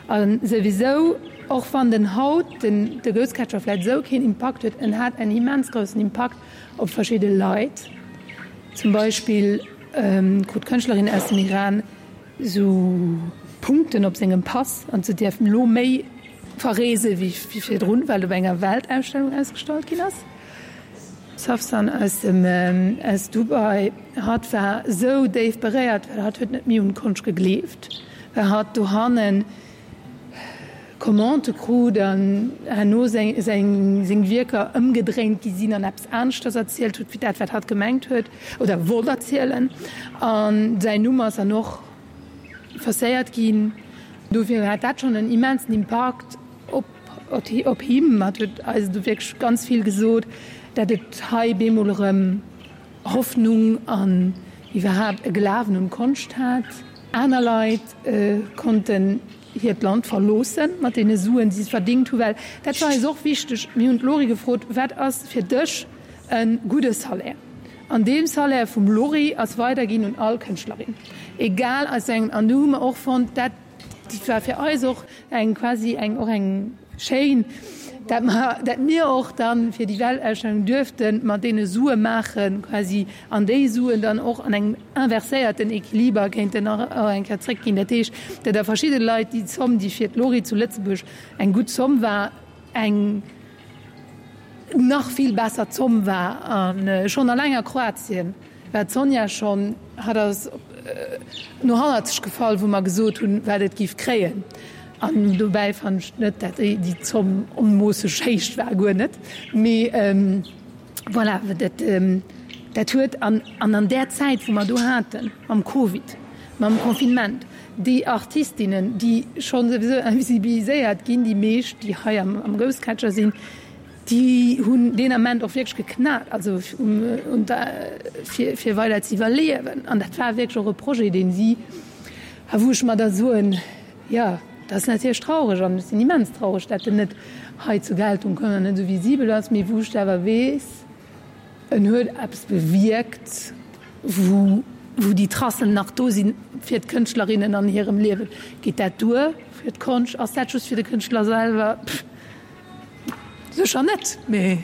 A souwisou, och wann den haut den de Ghost Catcher vläit esou keen Impakt huet, en hat en immens groussen Impakt op verschidde Leit. Zum Beispill krut d'Kënschtlerin aus dem Iran esou Punkten op sengem Pass an se dierf elo méi verreese wéi virdrun, well et op enger Weltausstellung ausgestallt ginn ass. Safsan aus dem aus Dubai, hatt war esou déif beréiert, well hatt huet net méi un d'Konscht gegleeft, well hatt dohannen Commandë krut an herno seng seng Wierker ëmgedréint gi sinn an eppes aneschters erzielt huet, wéi dat, wat hatt gemengt huet oder wollt erzielen. A säin Numm ass dann och forcéiert ginn. Dofir hat dat schonn en immensen Impakt op op him. Hatt huet eis do wierklech ganz vill gesot, dat et hei bemol erëm Hoffnung an iwwerhaapt e Glawen un d'Konscht hat. Aner Leit konnten hiert Land verloosse mat deene Suen, déi se verdingt hunn, well dat war eis och wichteg. Mir hunn d'Lori gefrot, Wat ass fir dech e gudde Salaire? An dee Salaire vum Lori ass weiderginn un all Kënschtlerin, egal aus wéi engem. An do hu mer och fonnt, dat war fir eis och eng quasi eng och eng schéin dat mer, dat mir och dann fir déi Weltausstellung duerfte mat deene Sue maachen quasi an déi Suen dann och an engem inverséierten Equiliber kéinten och eng Kéier zréckginn. Dat heescht, dat da verschidde Leit déi Zomm, déi fir d'Lori zu Lëtzebuerg eng gutt Zomm war, eng nach vill besser Zomm war. A schonn alleng a Kroatien war d'Sonja schonn, hat ass no hannerzeg gefall, wou mer gesot hunn, wat et giff kréien. An dobäi fannen ech net, dat déi Zomm onmoosseg héich war, guer net. Mee voilà, dat, dat huet, an an där Zäit, wou mer do haten, mam Covid, mam Confinement, déi Artistinnen, déi scho souwisou invisibiliséiert ginn, déi meescht, déi hei am Ghost Catcher sinn, déi hunn deen Ament och wierklech geknat, also fir, fir weider ze iwwerliewen. An dat war wierklech och e Projet, deen si, a wou ech mer da soen, jo, dat ass natierlech traureg an ech sinn immens traureg, dat en net hei zur Geltung koum an net esou visibel ass, mee wou ech awer weess, en huet eppes bewierkt, wou, wou déi Tracen nach do si fir d'Kënschtlerinnen an hirem Liewen. Geet dat duer fir d'Konscht? Ass dat just fir de Kënschtler selwer? Pff, sécher net, mee,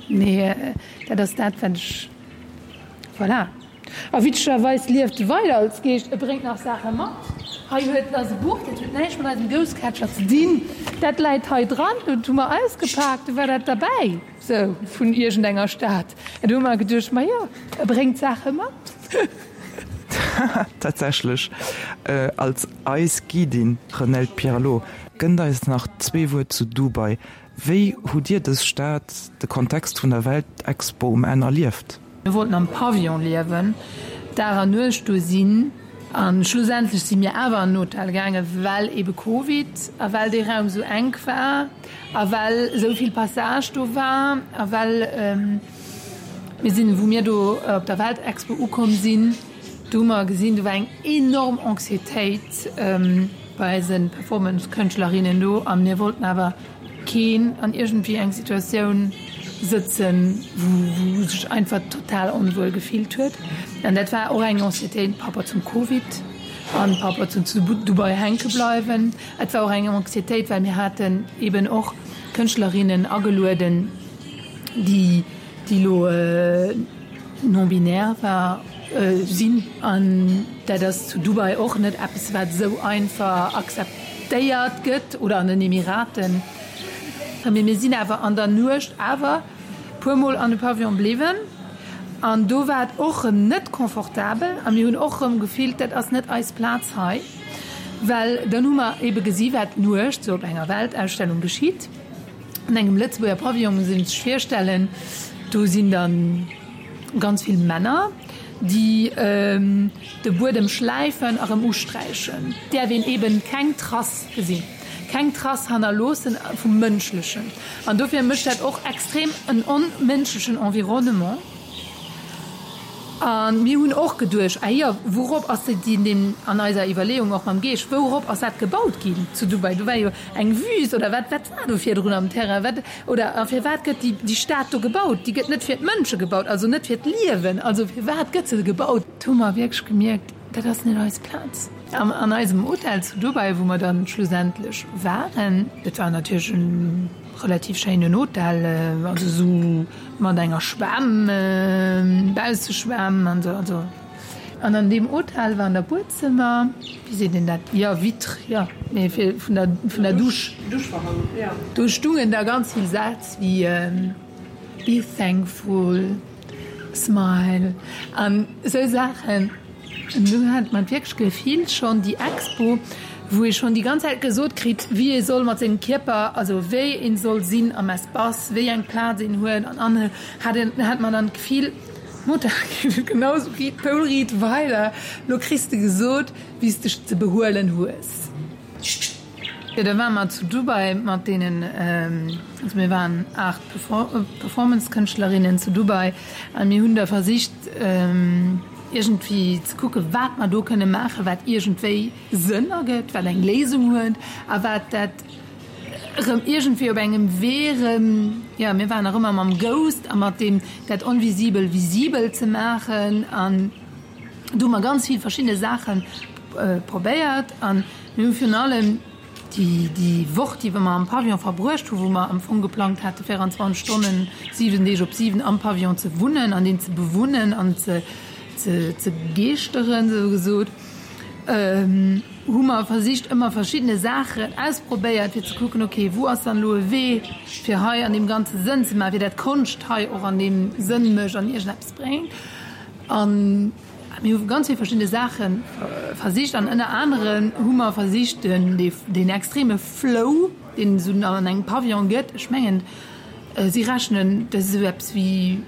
mee dat ass dat, wat ech, voilà. A witzegerweis lieft e weider als Geescht, e bréngt nach Saache mat. Hei huet en ass e Buch, dat huet näischt mat eisem Ghost Catcher ze dinn. Dat läit hei dran, dat hu mer ausgepaakt, do war dat derbäi, sou vun iergendenger Stad. An do hu mer geduecht, ma jo, e bréngt Saache mat. Tatsächlech, als eis Guidin Renelde Pierlot gënnt eis nach zwee Wuert zu Dubai. Wéi hutt Dir dës Stad, de Kontext vun der Weltexpo um Enn erlieft? Mir wollten am Pavillon liewen, Dag an Nuecht do sinn. A schlussendlech si mir awer an en Hotel gaangen, well ebe Covid a well dee Raum esou enk war a well esou vill Passage do war a well mir sinn, wou mir do op der Weltexpo ukomm sinn, do hu mer gesinn, do war eng enorm Anxiétéit bei eise Performance-Kënschtlerinnen do a mir wollten awer keen an iergendwéi eng Situatioun sëtzen, wou sech einfach total onwuel gefillt huet. An dat war och eng Anxiétéit par rapport zum Covid an par rapport zum zu Dubai hänke bleiwen. Et war och eng Anxiétéit, well mir haten eben och Kënschtlerinnen agelueden, déi déi elo non-binär war, sinn. An dat ass zu Dubai och net eppes, wat esou einfach akzeptéiert gëtt oder an den Emiraten. Mee mir sinn awer an der Nuecht awer puer Mol an de Pavillon bliwwen an do war et och erëm net confortabel a mir hunn och erëm gefillt, dat ass net eis Plaz hei, well dann hu mer ebe gesi wat d'Nuecht sou op enger Weltausstellung geschitt. An engem Lëtzebuerger Pavillon muss ee sech virstellen, do sinn da ganz vill Männer, déi de Buedem schläifen a rëm usträichen. Et däerf een eben keng Trace gesinn, keng Trace hannerloossen vum Mënschlechen. An dofir mécht dat och extrem en onmënschlechen Environnement. A mir hunn och geduecht, ah jo, wourop ass deen, an eiser Iwwerleeung och mam Geescht, wourop ass dat gebaut ginn zu Dubai? Do war jo eng Wüst oder wat, wat war do virdrun am Terrain? Wat, oder a firwat gëtt déi, déi Stad do gebaut? Déi gëtt net fir d'Mënsche gebaut, also net fir d'Liewen. Also firwat gëtt se gebaut? Do hu mer wierklech gemierkt, dat ass net eis Plaz. An an eisem Hotel zu Dubai, wou mer dann schlussendlech waren, dat war natierlech e relativ schéinen Hotel, also esou mat enger Schwämm, Bausseschwämm an esou, also. An an deem Hotel war an der Buedzëmmer, wéi seet een dat, jo Vitre, jo, mee fir vun der, vun der Dusch. Duschvorhang, jo. Do stungen da ganz vill Sätz wéi Be thankful, smile an esou Saachen. An do hat mer wierklech d'Gefill schonn, déi Expo, wou ee schonn déi ganz Zäit gesot kritt, wéi ee soll mat sengem Kierper, also wéi een soll sinn am Espace, wéi eng Plaz een huet an anhëlt, hat een, hat mer dann d'Gefill, Mutter, genau esou riit d'Poul riit weider, lo kriss de gesot, wéi s dech ze behuelen hues. Jo, da ware mer zu Dubai mat deenen, also mir waren aacht Performance-Kënschtlerinnen zu Dubai a mir hunn da versicht iergendwéi ze kucken, wat mer do kënne maachen, wat iergendwéi Sënn ergëtt, wat eng Léisung huet a wat dat erëm iergendwéi op engem Wee erëm, jo, mir waren nach ëmmer mam Ghost a mat deem dat Onvisibel visibel ze maachen an do hu mer ganz vill verschidde Saache probéiert an mir hu virun allem déi, déi Woch, déi mer am Pavillon verbruecht hunn, wou mer am Fong geplangt hate véierundzwanzeg Stonnen, siwen Deeg op siwen am Pavillon ze wunnen an deen ze bewunnen an ze, ze, ze geeschteren, esou gesot, hu mer versicht, ëmmer verschiddene Saachen ausprobéiert, fir ze kucken, okay, wou ass dann elo e Wee, fir hei an deem Ganze Sënn ze maachen, fir dat Konscht hei och an deem Sënn mécht an iergendeppes bréngt. An mir hu ganz vill verschidde Saache versicht an ënner anere hu mer versicht, den, deen extreme Flow, deen et esou an engem Pavillon gëtt, ech mengen, si rechnen, dat ass esou eppes wéi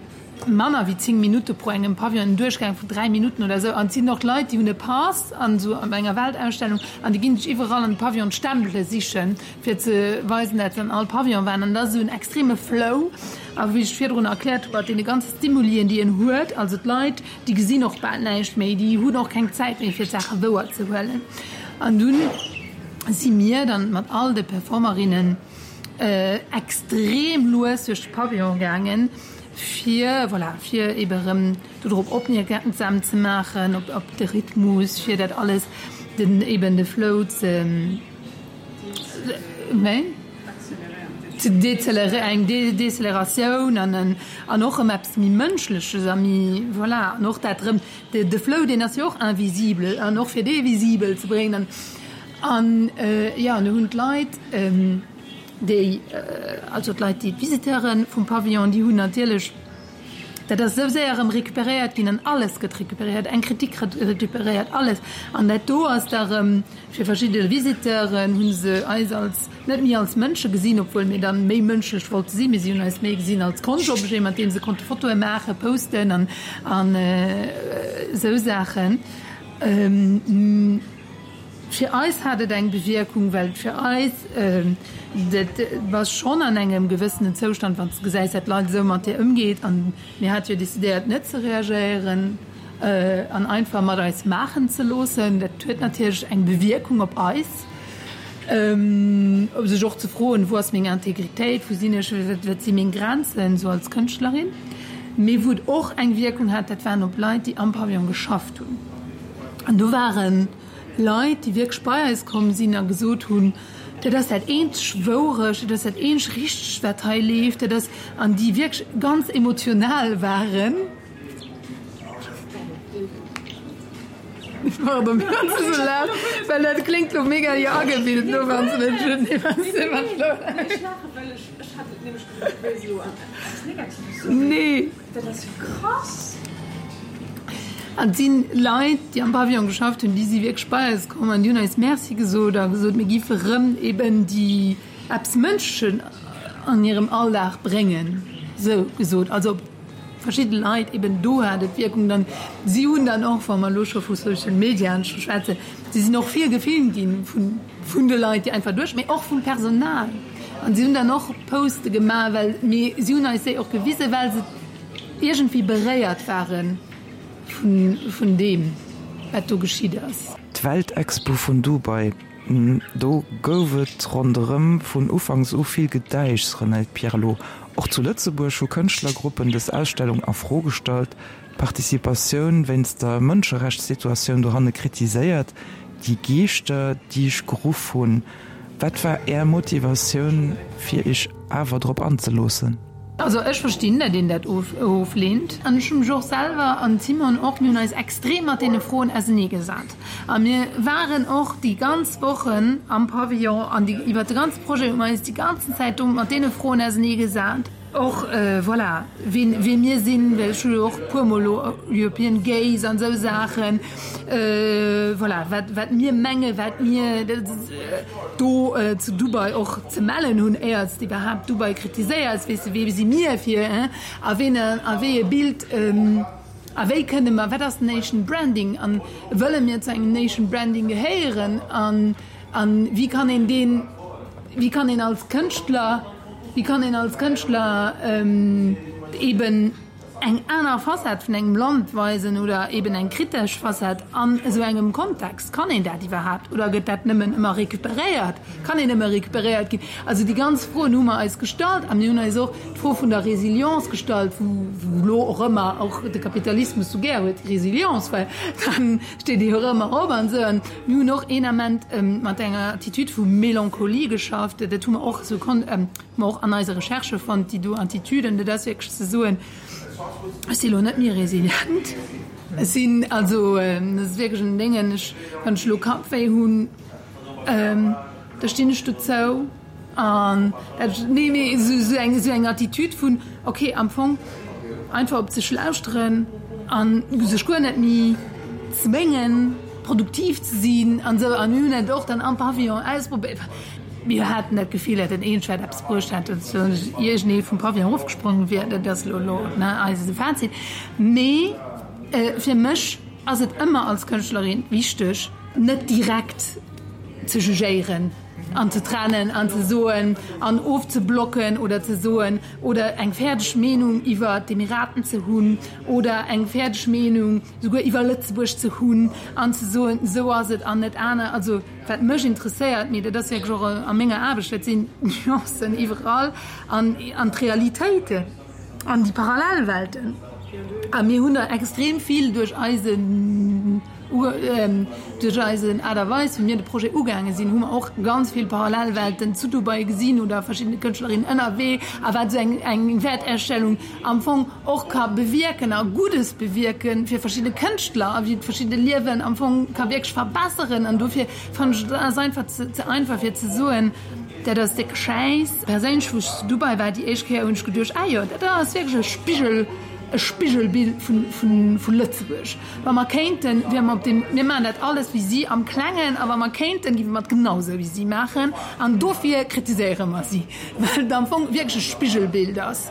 manner wéi zéng Minutte pro engem Pavillon, en Duerchgang vun dräi Minutten oder esou. An et sinn och Leit, déi hunn e Pass an esou an enger Weltausstellung an déi ginn sech iwwerall an de Pavillon d'Stempele sichen, fir ze weisen, dat se an all Pavillon waren. An dat ass esou en extreme Flow. A wéi ech virdrun erkläert hu mat deene ganze Stimulien, déi en huet, also d'Leit, déi gesinn och bal näischt méi, déi hunn och keng Zäit méi, fir d'Saache wouer ze huelen. An dunn si mir dann mat all de Performerinnen extrem lues duerch de Pavillon gaangen, fir, voilà, fir ebe erëm dodrop opmierksam ze maachen, op, op de Rhythmus, fir dat alles, den, eben de Flow ze, wéi? Ze décélérer, eng Décélératioun an en, an och erëm eppes méi Mënschleches a méi, voilà, an och dat erëm, de, de Flow, deen ass jo och invisible an och fir dee visibel ze bréngen an, an, jo, an do hunn d'Leit, Déi, also d'Leit, déi d'Visiteure vum Pavillon, déi hunn natierlech, dat ass esou séier erëm récupéréiert ginn an alles gëtt récupéréiert, eng Kritik récupéréiert alles. An dat do ass da erëm fir verschidde Visiteuren, hu se eis als, net méi als Mënsche gesinn, obwuel mir dann méi mënschlech wollte sinn, mee si hunn eis méi gesinn als Konschtobjet, mat deem se konnte Fotoe maachen, posten an esou Saachen. Fir eis hat et eng Bewierkung, well fir eis, dat bass schonn an engem gewëssenen Zoustand, wann s de gesäis, dat d'Leit esou mat dir ëmgeet. An mir hate jo decidéiert, net ze reagéieren an einfach mat eis maachen ze loossen. Dat huet natierlech eng Bewierkung op eis, sech och ze froen, Wou ass meng Integritéit, wou sinn ech, wat si meng Grenzen, esou als Kënschtlerin. Mee wou et och eng Wierkung hat, dat waren op Leit, déi am Pavillon geschafft hunn. An do waren Leit, déi wierklech bei eis komm sinn a gesot hunn, dat ass dat eenzeg Wourecht, dat ass dat eenzeg Richtegt, wat hei leeft, dat ass, an déi wierklech ganz emotional waren. Pardon, mir ass esou laut, well dat kléngt lo mega jo agebilt, no wann s de net je ne sais wat elo. Ech laachen, well ech, ech hat et nämlech gesot, wéi se elo eppes Negatives soen. Nee. Dat ass jo krass! An et si Leit, déi am Pavillon geschafft hunn, déi si wierklech bei eis komm an déi hunn eis Merci gesot a gesot, mir géife rëm eben déi eppes Mënschlechen an hirem Alldag bréngen, esou gesot. Also op verschidde Leit eben do hat et Wierkung. Dann, si hunn dann och, wa mer elo scho vu Social Mediaen schwätzen, si sinn och vill gefilmt gi vun, vun de Leit, déi einfach duerch, mee och vum Personal. An si hunn dann och Poste gemaach, well, mee si hunn eis déi och gewisen, well se iergendwéi beréiert ware vun deem, wat do geschitt ass. D'Weltexpo vun Dubai, do gouf et ronderëm vun ufanks u vill Gedäischs, Renate Pierlot. Och zu Lëtzebuerg hu Kënschtlergruppen dës Ausstellung a Fro gestallt, d'Participatioun wéinst der Mënscherechtssituatioun dohanne kritiséiert. Déi Geeschter, déi ech geruff hunn, wat war Är Motivatioun, fir Iech awer drop anzeloossen? Also ech verstinn, datt een dat ofleent. An ech hu mech och selwer, an d'Simone och, mir hunn eis extrem mat deene Froen auseneegesat. A mir waren och déi ganz Wochen am Pavillon an déi, iwwert de ganze Projet hu mer eis déi ganzen Zäit do mat deene Froen auseneegesat. Och, voilà, wien, wie mir sinn, well ech hu jo och e puermol elo European Gaze an esou Saachen, voilà, wat, wat mir mengen, wat mir do zu Dubai och ze mellen hunn, éier s de iwwerhaapt Dubai kritiséiers, weess de, wie si mir fir, hein, a ween, a wéi e Bild, a wéi kënne mer, wat ass Nation Branding an wëlle mir zu engem Nation Branding gehéieren an, an wéi kann een deen, wéi kann een als Kënschtler, wéi kann een als Kënschtler eben eng aner Facette vun engem Land weisen oder eben eng kritesch Facette an esou engem Kontext? Kann een dat iwwerhaapt oder gëtt dat nëmmen ëmmer recuperéiert? Kann een nëmme recuperéiert ginn? Also déi ganz Froen hu mer eis gestallt a mir hunn eis och d'Fro vun der Resilience gestallt, wou wou elo och ëmmer och de Kapitalismus sou gär huet, Resilience, well dann steet ee jo erëm erop an esou. An mir hunn och een Ament mat enger Attitude vu Melancholie geschafft, dat hu mer och esou kon hu mer och an eise Recherchë fonnt, déi do Attitüden, dat ass wierklech ze soen, Ech si lo net méi resilient. Ech sinn also, dat ass wierklech en Déngen, ech, wann ech elo Kappwéi hunn, da stinn ech dozou an dat, nee, mee esou, esou eng, esou eng Attitude vun, okay, am Fong einfach op sech lauschteren an sech guer net méi zwéngen, produktiv ze sinn an esou. An mir hunn dat och dann am Pavillon ausprobéiert. Mir haten dat Gefill, datt den Eenschwert eppes bruecht hätt, datt iergendee vum Pavillon erofgesprongen wier. Dat ass elo elo eise Fazit. Mee fir mech ass et ëmmer als Kënschtlerin wichteg, net direkt ze jugéieren an ze trennen an ze soen an ofzeblocken oder ze soen oder eng fäerdeg Meenung iwwer d'Emiraten ze hunn oder eng fäerdeg Meenung souguer iwwer Lëtzebuerg ze hunn an ze soen, esou ass et an net aner. Also wat mech interesséiert, mee dat ass wierklech och a menger Aarbecht, dat sinn d'Nuancen iwwerall an an d'Realitéiten an déi Parallelwelten. A mir hunn der extrem vill duerch eisen, duerch eisen Aart a Weis, wéi mir de Projet ugaange sinn, hu mer och ganz vill Parallelwelten zu Dubai gesinn oder verschiddene Kënschtlerinnen ënnerwee a wat esou eng eng Wäerterstellung am Fong och ka bewierken a Guddes bewierke fir verschidde Kënschtler a wéi et verschidde Liewen am Fong ka wierklech verbesseren. An dofir fannen ech, et ass einfach ze einfach fir ze soen, dat ass décke Schäiss. Perséinlech, wou ech zu Dubai war déi éischt Kéier, hunn ech geduecht, ah jo, dat ass wierklech e Spigel, e Spigelbild vu Lëtzebuerg. Wa mer kéinten, wiere mer op deem, mir maachen dat alles wéi si am Klengen, a wa mer kéinten, géife mer et genau esou wéi si maachen. An dofir kritiséiere mer si, well et am Fong wierklech e Spigelbild ass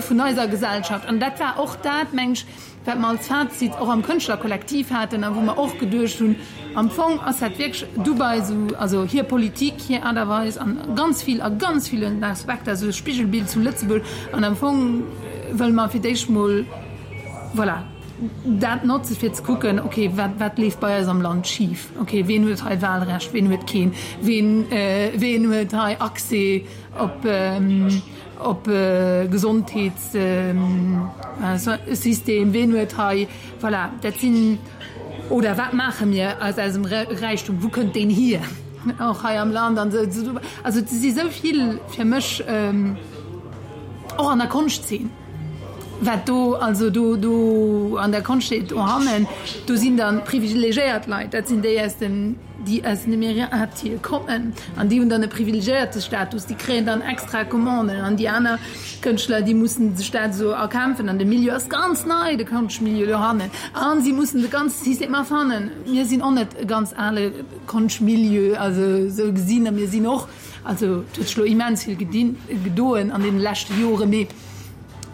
vun eiser Gesellschaft. An dat war och dat, meng ech, wat mer als Fazit och am Kënschtlerkollektiv haten a wou mer och geduecht hunn, am Fong ass dat wierklech Dubai esou, also hir Politik, hir Aart a Weis an ganz vill, a ganz villen Aspekter esou e Spigelbild zu Lëtzebuerg. An am Fong wëlle mer fir d'éischt mol, voilà, dat notze fir ze kucken, okay, wat, wat leeft bei eis am Land schif, okay, ween huet hei Wahlrecht, ween huet keen, ween, ween huet hei Accès op, op Gesondheetssystem, ween huet hei, voilà, dat sinn, oder wat maache mir aus eisem Räichtum, wou kënnt deen hier, och hei am Land an esou. Also et si sou vill fir mech och an der Konschtzeen, wat do, also do, do an der Konschtzeen dohannen, do sinn dann privilegiéiert Leit, dat sinn déi aus dem, déi aus den Emiratie kommen an déi hunn dann e privilegiéierte Status, déi kréien dann extra Commanden an déi aner Kënschtler, déi mussen sech dat esou erkämpfen an de Milieu ass ganz nei, de Konschtmilieu dohannen a si mussen de ganze System erfannen. Mir sinn och net e ganz ale Konschtmilieu, also esou gesinn a mir sinn och, also et huet sech elo immens vill gedinn, gedoen an deene leschte Joren, mee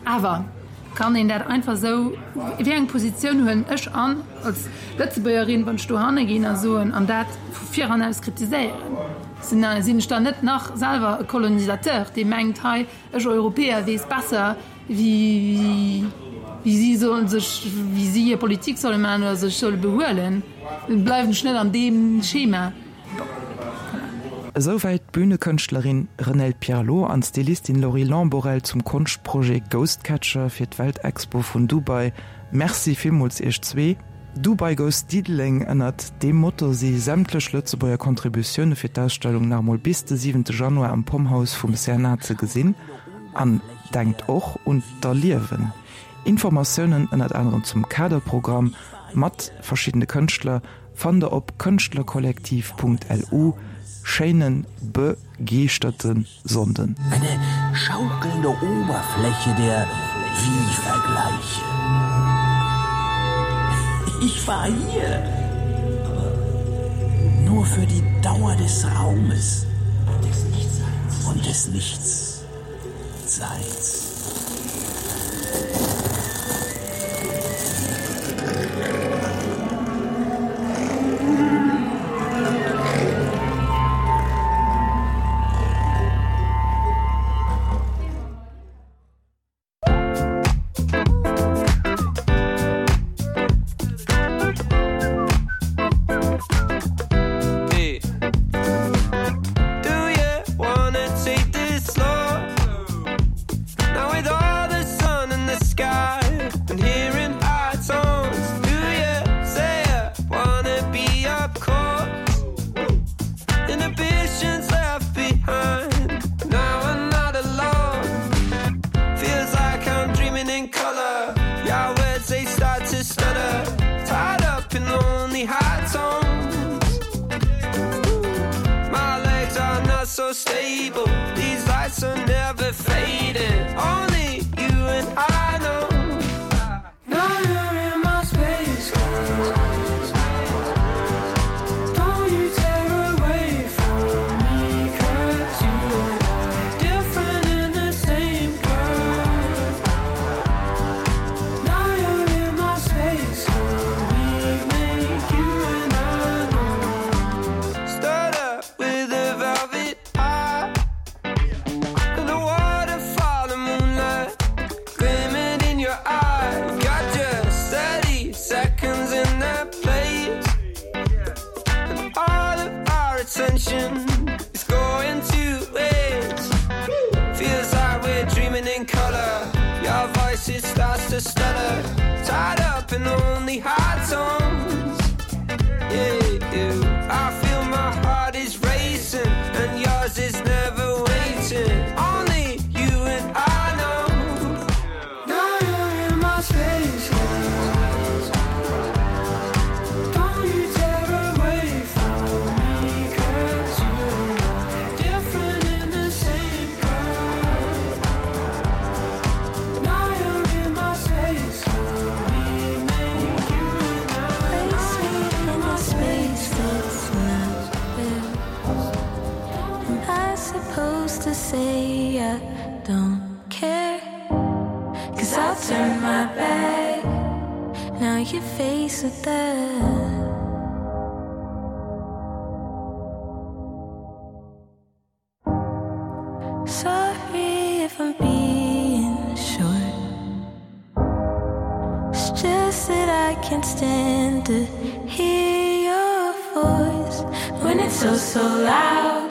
awer kann een dat einfach esou, wéi eng Positioun huelen ech an als Lëtzebuergerin, wann ech dohanne ginn a soen an dat vu viranaus kritiséieren? Sinn ech dann net nach selwer e Kolonisateur, dee mengt, hei, ech Europäer weess besser, wéi si sollen sech, wéi si hir Politik solle maachen oder sech solle behuelen? Bleiwen ech net an deem Schema? Bon, voilà. Esouwäit d'Bünekënschtlerin Renelde Pierlot an d'Stylistin Laurie Lamborelle zum Konschtprojet Ghostcatcher fir d'Weltexpo vun Dubai. Merci villmools iech zwee. Dubai Goes Diddeleng, ënnert deem Motto si sämtlech Lëtzebuerger Contributioune fir d'Ausstellung nach emol bis de siwente Januar am Pomhouse vum C N A ze gesinn. An denkt och un d'Erliewen. Informatiounen ënnert anerem zum Kaderprogramm mat verschiddene Kënschtler fannt der op kënschtlerkollektiv punkt L U. Schéinen begeeschterte Sonnden. Eine schaukelnde Oberfläche der Wie-Vergleiche. Ich war hier, aber nur für die Dauer des Raumes und des Nichtseins. so stable. These lights are never fading. Only you and I know. Now you're in my space. Don't you tear away from me, 'cause you and I different in the same girl. Now you're in my space. We make you and I know. Stirred up with a velvet eye. And the waterfall of moonlight gleaming in your eye. Got just thirty seconds in that place. And all of our attention is going to waste. Feels like we're dreaming in color. Your voice, it starts to stutter. Tied up in only high tones. Yeah, you. I feel my heart is racing and yours is never waiting. Only you and I know. Now you're in my space. Don't you tear away from me, 'cause you and I different in the same girl. Now you're in my space. We make you and I. Place me in a space that's not theirs. Am I supposed to say I don't care? 'Cause I'll turn my back. Now you're faced with that. Sorry if I'm being short. It's just that I can't stand to hear your voice when it's so, so loud.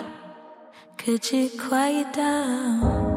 Could you quiet down?